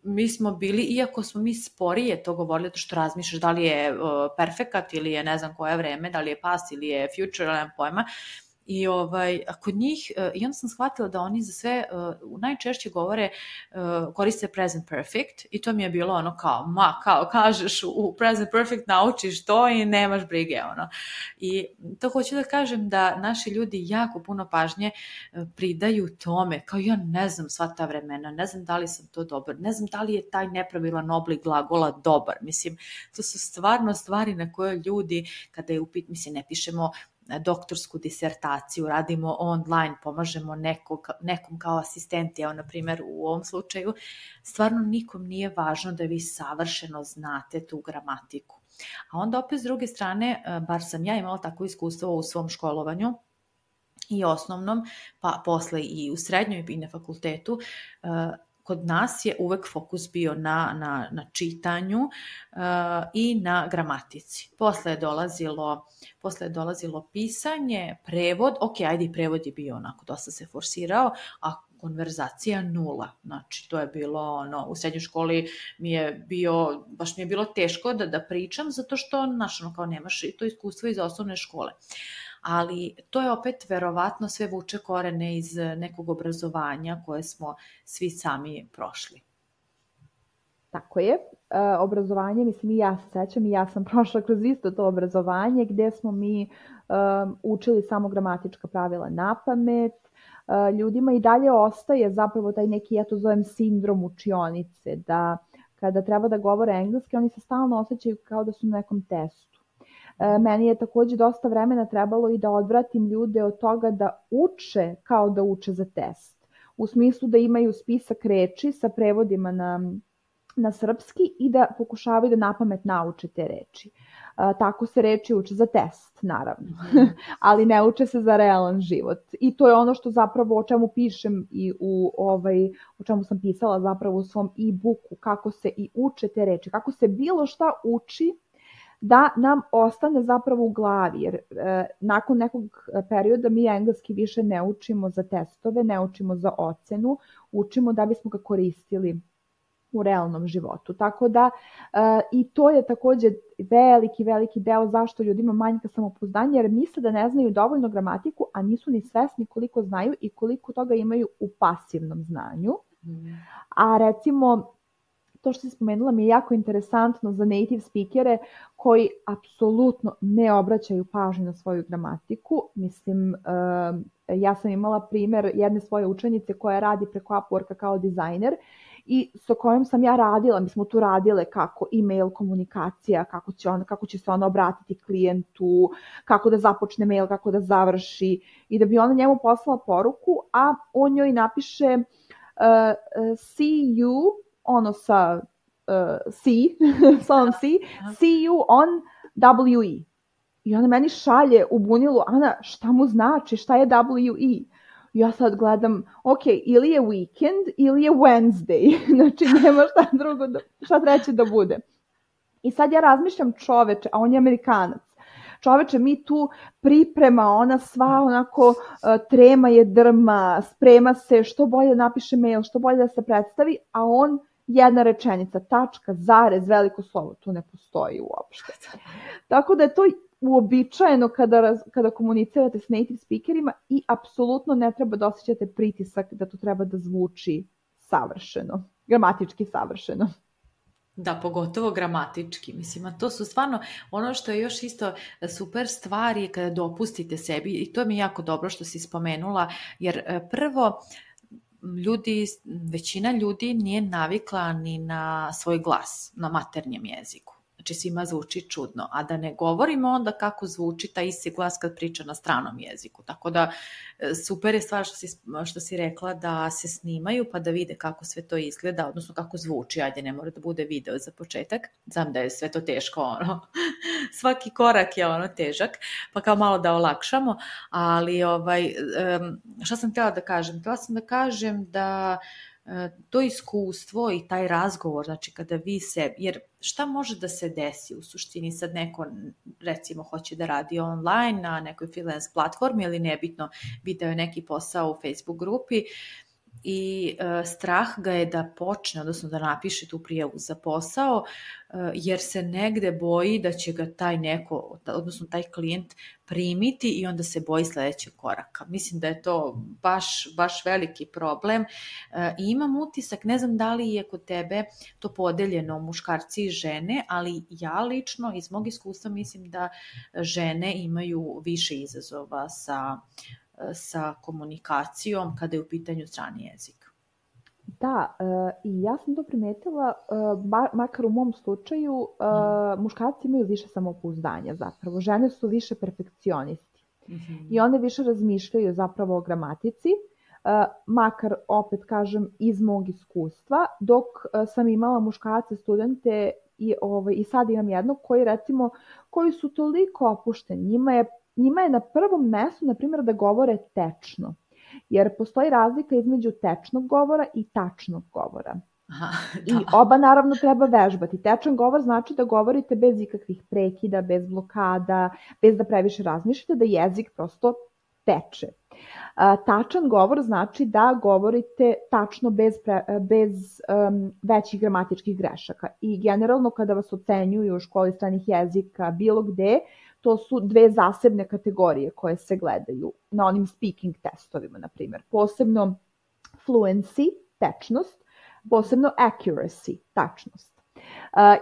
mi smo bili, iako smo mi sporije to govorili, to što razmišljaš da li je uh, perfekat ili je ne znam koje vreme, da li je past ili je future, nemam pojma, i ovaj, kod njih, uh, i onda sam shvatila da oni za sve uh, najčešće govore, uh, koriste present perfect i to mi je bilo ono kao, ma, kao kažeš u present perfect naučiš to i nemaš brige, ono. I to hoću da kažem da naši ljudi jako puno pažnje uh, pridaju tome, kao ja ne znam sva ta vremena, ne znam da li sam to dobar, ne znam da li je taj nepravilan oblik glagola dobar, mislim, to su stvarno stvari na koje ljudi, kada je upit, mislim, ne pišemo doktorsku disertaciju, radimo online, pomažemo nekog, nekom kao asistenti, evo na primjer u ovom slučaju, stvarno nikom nije važno da vi savršeno znate tu gramatiku. A onda opet s druge strane, bar sam ja imala tako iskustvo u svom školovanju i osnovnom, pa posle i u srednjoj i na fakultetu, kod nas je uvek fokus bio na, na, na čitanju uh, i na gramatici. Posle je dolazilo, posle je dolazilo pisanje, prevod, ok, ajde i prevod je bio onako, dosta se forsirao, a konverzacija nula. Znači, to je bilo, ono, u srednjoj školi mi je bio, baš mi je bilo teško da, da pričam, zato što, znaš, ono, kao nemaš i to iskustvo iz osnovne škole. Ali to je opet verovatno sve vuče korene iz nekog obrazovanja koje smo svi sami prošli. Tako je. E, obrazovanje, mislim i ja se sećam i ja sam prošla kroz isto to obrazovanje gdje smo mi um, učili samo gramatička pravila na pamet. E, ljudima i dalje ostaje zapravo taj neki, ja to zovem sindrom učionice, da kada treba da govore engleski, oni se stalno osjećaju kao da su na nekom testu. Meni je također dosta vremena trebalo i da odvratim ljude od toga da uče kao da uče za test. U smislu da imaju spisak reči sa prevodima na, na srpski i da pokušavaju da napamet nauče te reči. Tako se reči uče za test, naravno, ali ne uče se za realan život. I to je ono što zapravo o čemu pišem i u ovaj, o čemu sam pisala zapravo u svom e-booku, kako se i uče te reči, kako se bilo šta uči da nam ostane zapravo u glavi, jer e, nakon nekog perioda mi engleski više ne učimo za testove, ne učimo za ocenu, učimo da bismo ga koristili u realnom životu. Tako da e, i to je također veliki, veliki deo zašto ljudima manjka samopouzdanja, jer misle da ne znaju dovoljno gramatiku, a nisu ni svesni koliko znaju i koliko toga imaju u pasivnom znanju. Mm. A recimo, to što si spomenula mi je jako interesantno za native speakere koji apsolutno ne obraćaju pažnju na svoju gramatiku. Mislim, ja sam imala primjer jedne svoje učenice koja radi preko Upworka kao dizajner i sa kojom sam ja radila, mi smo tu radile kako e-mail komunikacija, kako će, on, kako će se ona obratiti klijentu, kako da započne mail, kako da završi i da bi ona njemu poslala poruku, a on njoj napiše uh, see you, ono sa uh, C, sa onom C, see you on W E. I ona meni šalje u bunilu, Ana, šta mu znači, šta je W E? Ja sad gledam, ok, ili je weekend ili je Wednesday, znači nema šta drugo, da, šta treće da bude. I sad ja razmišljam čoveče, a on je Amerikanac. Čoveče, mi tu priprema, ona sva onako uh, trema je drma, sprema se, što bolje napiše mail, što bolje da se predstavi, a on jedna rečenica, tačka, zarez, veliko slovo, tu ne postoji uopšte. Tako da je to uobičajeno kada, kada komunicirate s native speakerima i apsolutno ne treba da osjećate pritisak da to treba da zvuči savršeno, gramatički savršeno. Da, pogotovo gramatički. Mislim, a to su stvarno ono što je još isto super stvar je kada dopustite sebi, i to mi je jako dobro što si spomenula, jer prvo, ljudi, većina ljudi nije navikla ni na svoj glas, na maternjem jeziku. Znači svima zvuči čudno, a da ne govorimo onda kako zvuči taj isti glas kad priča na stranom jeziku. Tako da super je stvar što si, što si rekla da se snimaju pa da vide kako sve to izgleda, odnosno kako zvuči, ajde ne mora da bude video za početak, znam da je sve to teško, ono, svaki korak je ono težak, pa kao malo da olakšamo, ali ovaj, šta sam htjela da kažem? Htjela sam da kažem da to iskustvo i taj razgovor, znači kada vi se, jer šta može da se desi u suštini, sad neko recimo hoće da radi online na nekoj freelance platformi ili nebitno, video je neki posao u Facebook grupi i e, strah ga je da počne, odnosno da napiše tu prijavu za posao, e, jer se negde boji da će ga taj neko, odnosno taj klijent primiti i onda se boji sledećeg koraka. Mislim da je to baš, baš veliki problem. E, i imam utisak, ne znam da li je kod tebe to podeljeno muškarci i žene, ali ja lično iz mog iskustva mislim da žene imaju više izazova sa sa komunikacijom kada je u pitanju strani jezik. Da, uh, i ja sam to primetila, uh, ba, makar u mom slučaju, uh, mm. muškarci imaju više samopouzdanja zapravo, žene su više perfekcionisti mm-hmm. i one više razmišljaju zapravo o gramatici, uh, makar opet kažem iz mog iskustva, dok uh, sam imala muškarce studente i, ovaj, i sad imam jednog koji recimo, koji su toliko opušteni, njima je Njima je na prvom mestu, na primjer, da govore tečno, jer postoji razlika između tečnog govora i tačnog govora. Aha, I oba naravno treba vežbati. Tečan govor znači da govorite bez ikakvih prekida, bez blokada, bez da previše razmišljate, da jezik prosto teče. Tačan govor znači da govorite tačno bez, pre, bez um, većih gramatičkih grešaka. I generalno kada vas ocenjuju u školi stranih jezika bilo gde, to su dve zasebne kategorije koje se gledaju na onim speaking testovima, na primjer. Posebno fluency, tečnost, posebno accuracy, tačnost.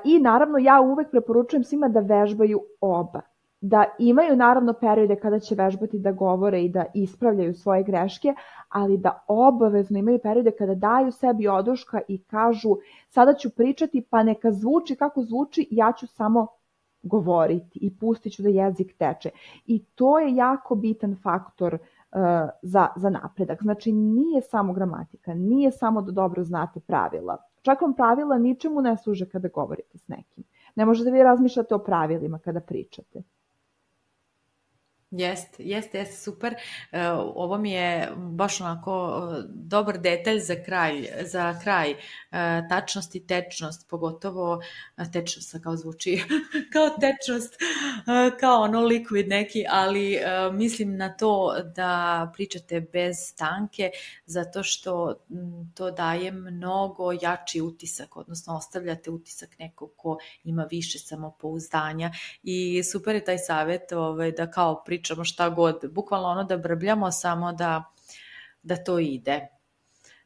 I naravno ja uvek preporučujem svima da vežbaju oba. Da imaju naravno periode kada će vežbati da govore i da ispravljaju svoje greške, ali da obavezno imaju periode kada daju sebi oduška i kažu sada ću pričati pa neka zvuči kako zvuči, ja ću samo govoriti i pustit ću da jezik teče. I to je jako bitan faktor uh, za, za napredak. Znači nije samo gramatika, nije samo da dobro znate pravila. Čak vam pravila ničemu ne služe kada govorite s nekim. Ne možete vi razmišljati o pravilima kada pričate. Jeste, jeste, jeste, super. Ovo mi je baš onako dobar detalj za kraj, za kraj. Tačnost i tečnost, pogotovo tečnost kao zvuči, kao tečnost, kao ono liquid neki, ali mislim na to da pričate bez stanke, zato što to daje mnogo jači utisak, odnosno ostavljate utisak nekog ko ima više samopouzdanja i super je taj savjet ovaj, da kao pričamo šta god, bukvalno ono da brbljamo, samo da, da to ide.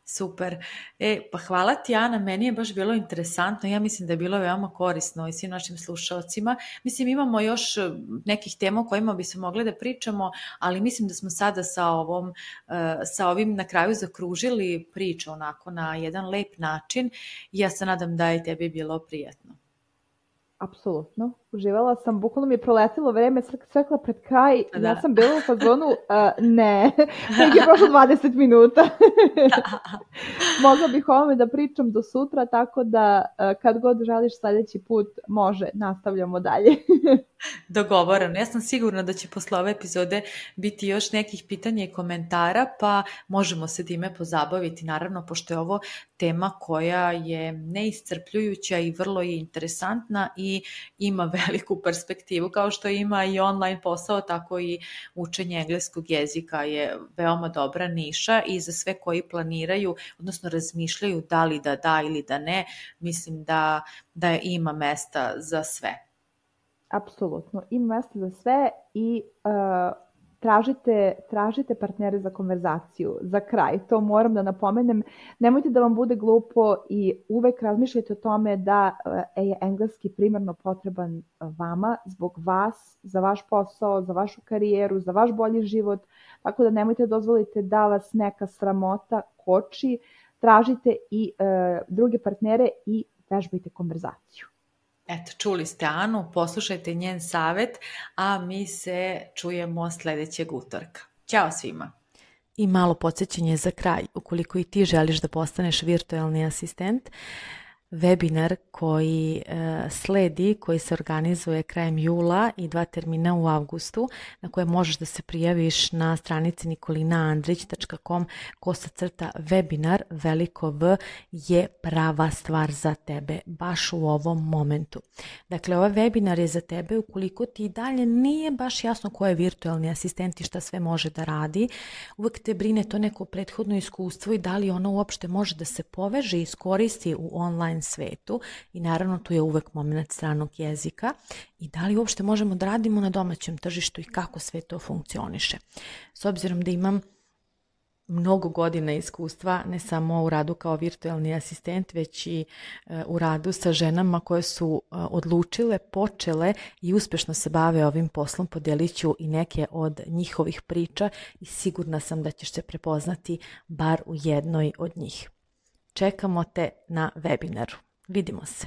Super. E, pa hvala ti, Ana, meni je baš bilo interesantno, ja mislim da je bilo veoma korisno i svim našim slušalcima. Mislim, imamo još nekih tema o kojima bi se mogli da pričamo, ali mislim da smo sada sa ovom, sa ovim na kraju zakružili priču onako na jedan lep način i ja se nadam da je tebi bilo prijatno. Apsolutno. Uživala sam, bukvalno mi je proletilo vreme, srekla pred kraj, da. Ja sam bila u fazonu, uh, ne, nek je prošlo dvadeset minuta. Mogla bih ovome da pričam do sutra, tako da uh, kad god želiš sljedeći put, može, nastavljamo dalje. Dogovoreno. Ja sam sigurna da će posle ove epizode biti još nekih pitanja i komentara, pa možemo se time pozabaviti, naravno, pošto je ovo tema koja je neiscrpljujuća i vrlo je interesantna i ima veliku perspektivu, kao što ima i online posao, tako i učenje engleskog jezika je veoma dobra niša i za sve koji planiraju, odnosno razmišljaju da li da da ili da ne, mislim da, da ima mesta za sve. Apsolutno, ima mesta za sve i uh, tražite, tražite partnere za konverzaciju. Za kraj, to moram da napomenem, nemojte da vam bude glupo i uvek razmišljajte o tome da uh, je engleski primarno potreban vama, zbog vas, za vaš posao, za vašu karijeru, za vaš bolji život, tako da nemojte dozvolite da vas neka sramota koči, tražite i uh, druge partnere i vežbajte konverzaciju. Eto, čuli ste Anu, poslušajte njen savjet, a mi se čujemo sljedećeg utorka. Ćao svima! I malo podsjećanje za kraj, ukoliko i ti želiš da postaneš virtualni asistent, webinar koji e, sledi, koji se organizuje krajem jula i dva termina u avgustu, na koje možeš da se prijaviš na stranici nikolina andrić tačka com kosa crta webinar, veliko V, je prava stvar za tebe, baš u ovom momentu. Dakle, ovaj webinar je za tebe ukoliko ti i dalje nije baš jasno ko je virtualni asistent i šta sve može da radi. Uvek te brine to neko prethodno iskustvo i da li ono uopšte može da se poveže i iskoristi u online svetu i naravno tu je uvek moment stranog jezika i da li uopšte možemo da radimo na domaćem tržištu i kako sve to funkcioniše. S obzirom da imam mnogo godina iskustva, ne samo u radu kao virtualni asistent, već i u radu sa ženama koje su odlučile, počele i uspešno se bave ovim poslom, podelit ću i neke od njihovih priča i sigurna sam da ćeš se prepoznati bar u jednoj od njih. Čekamo te na webinaru. Vidimo se.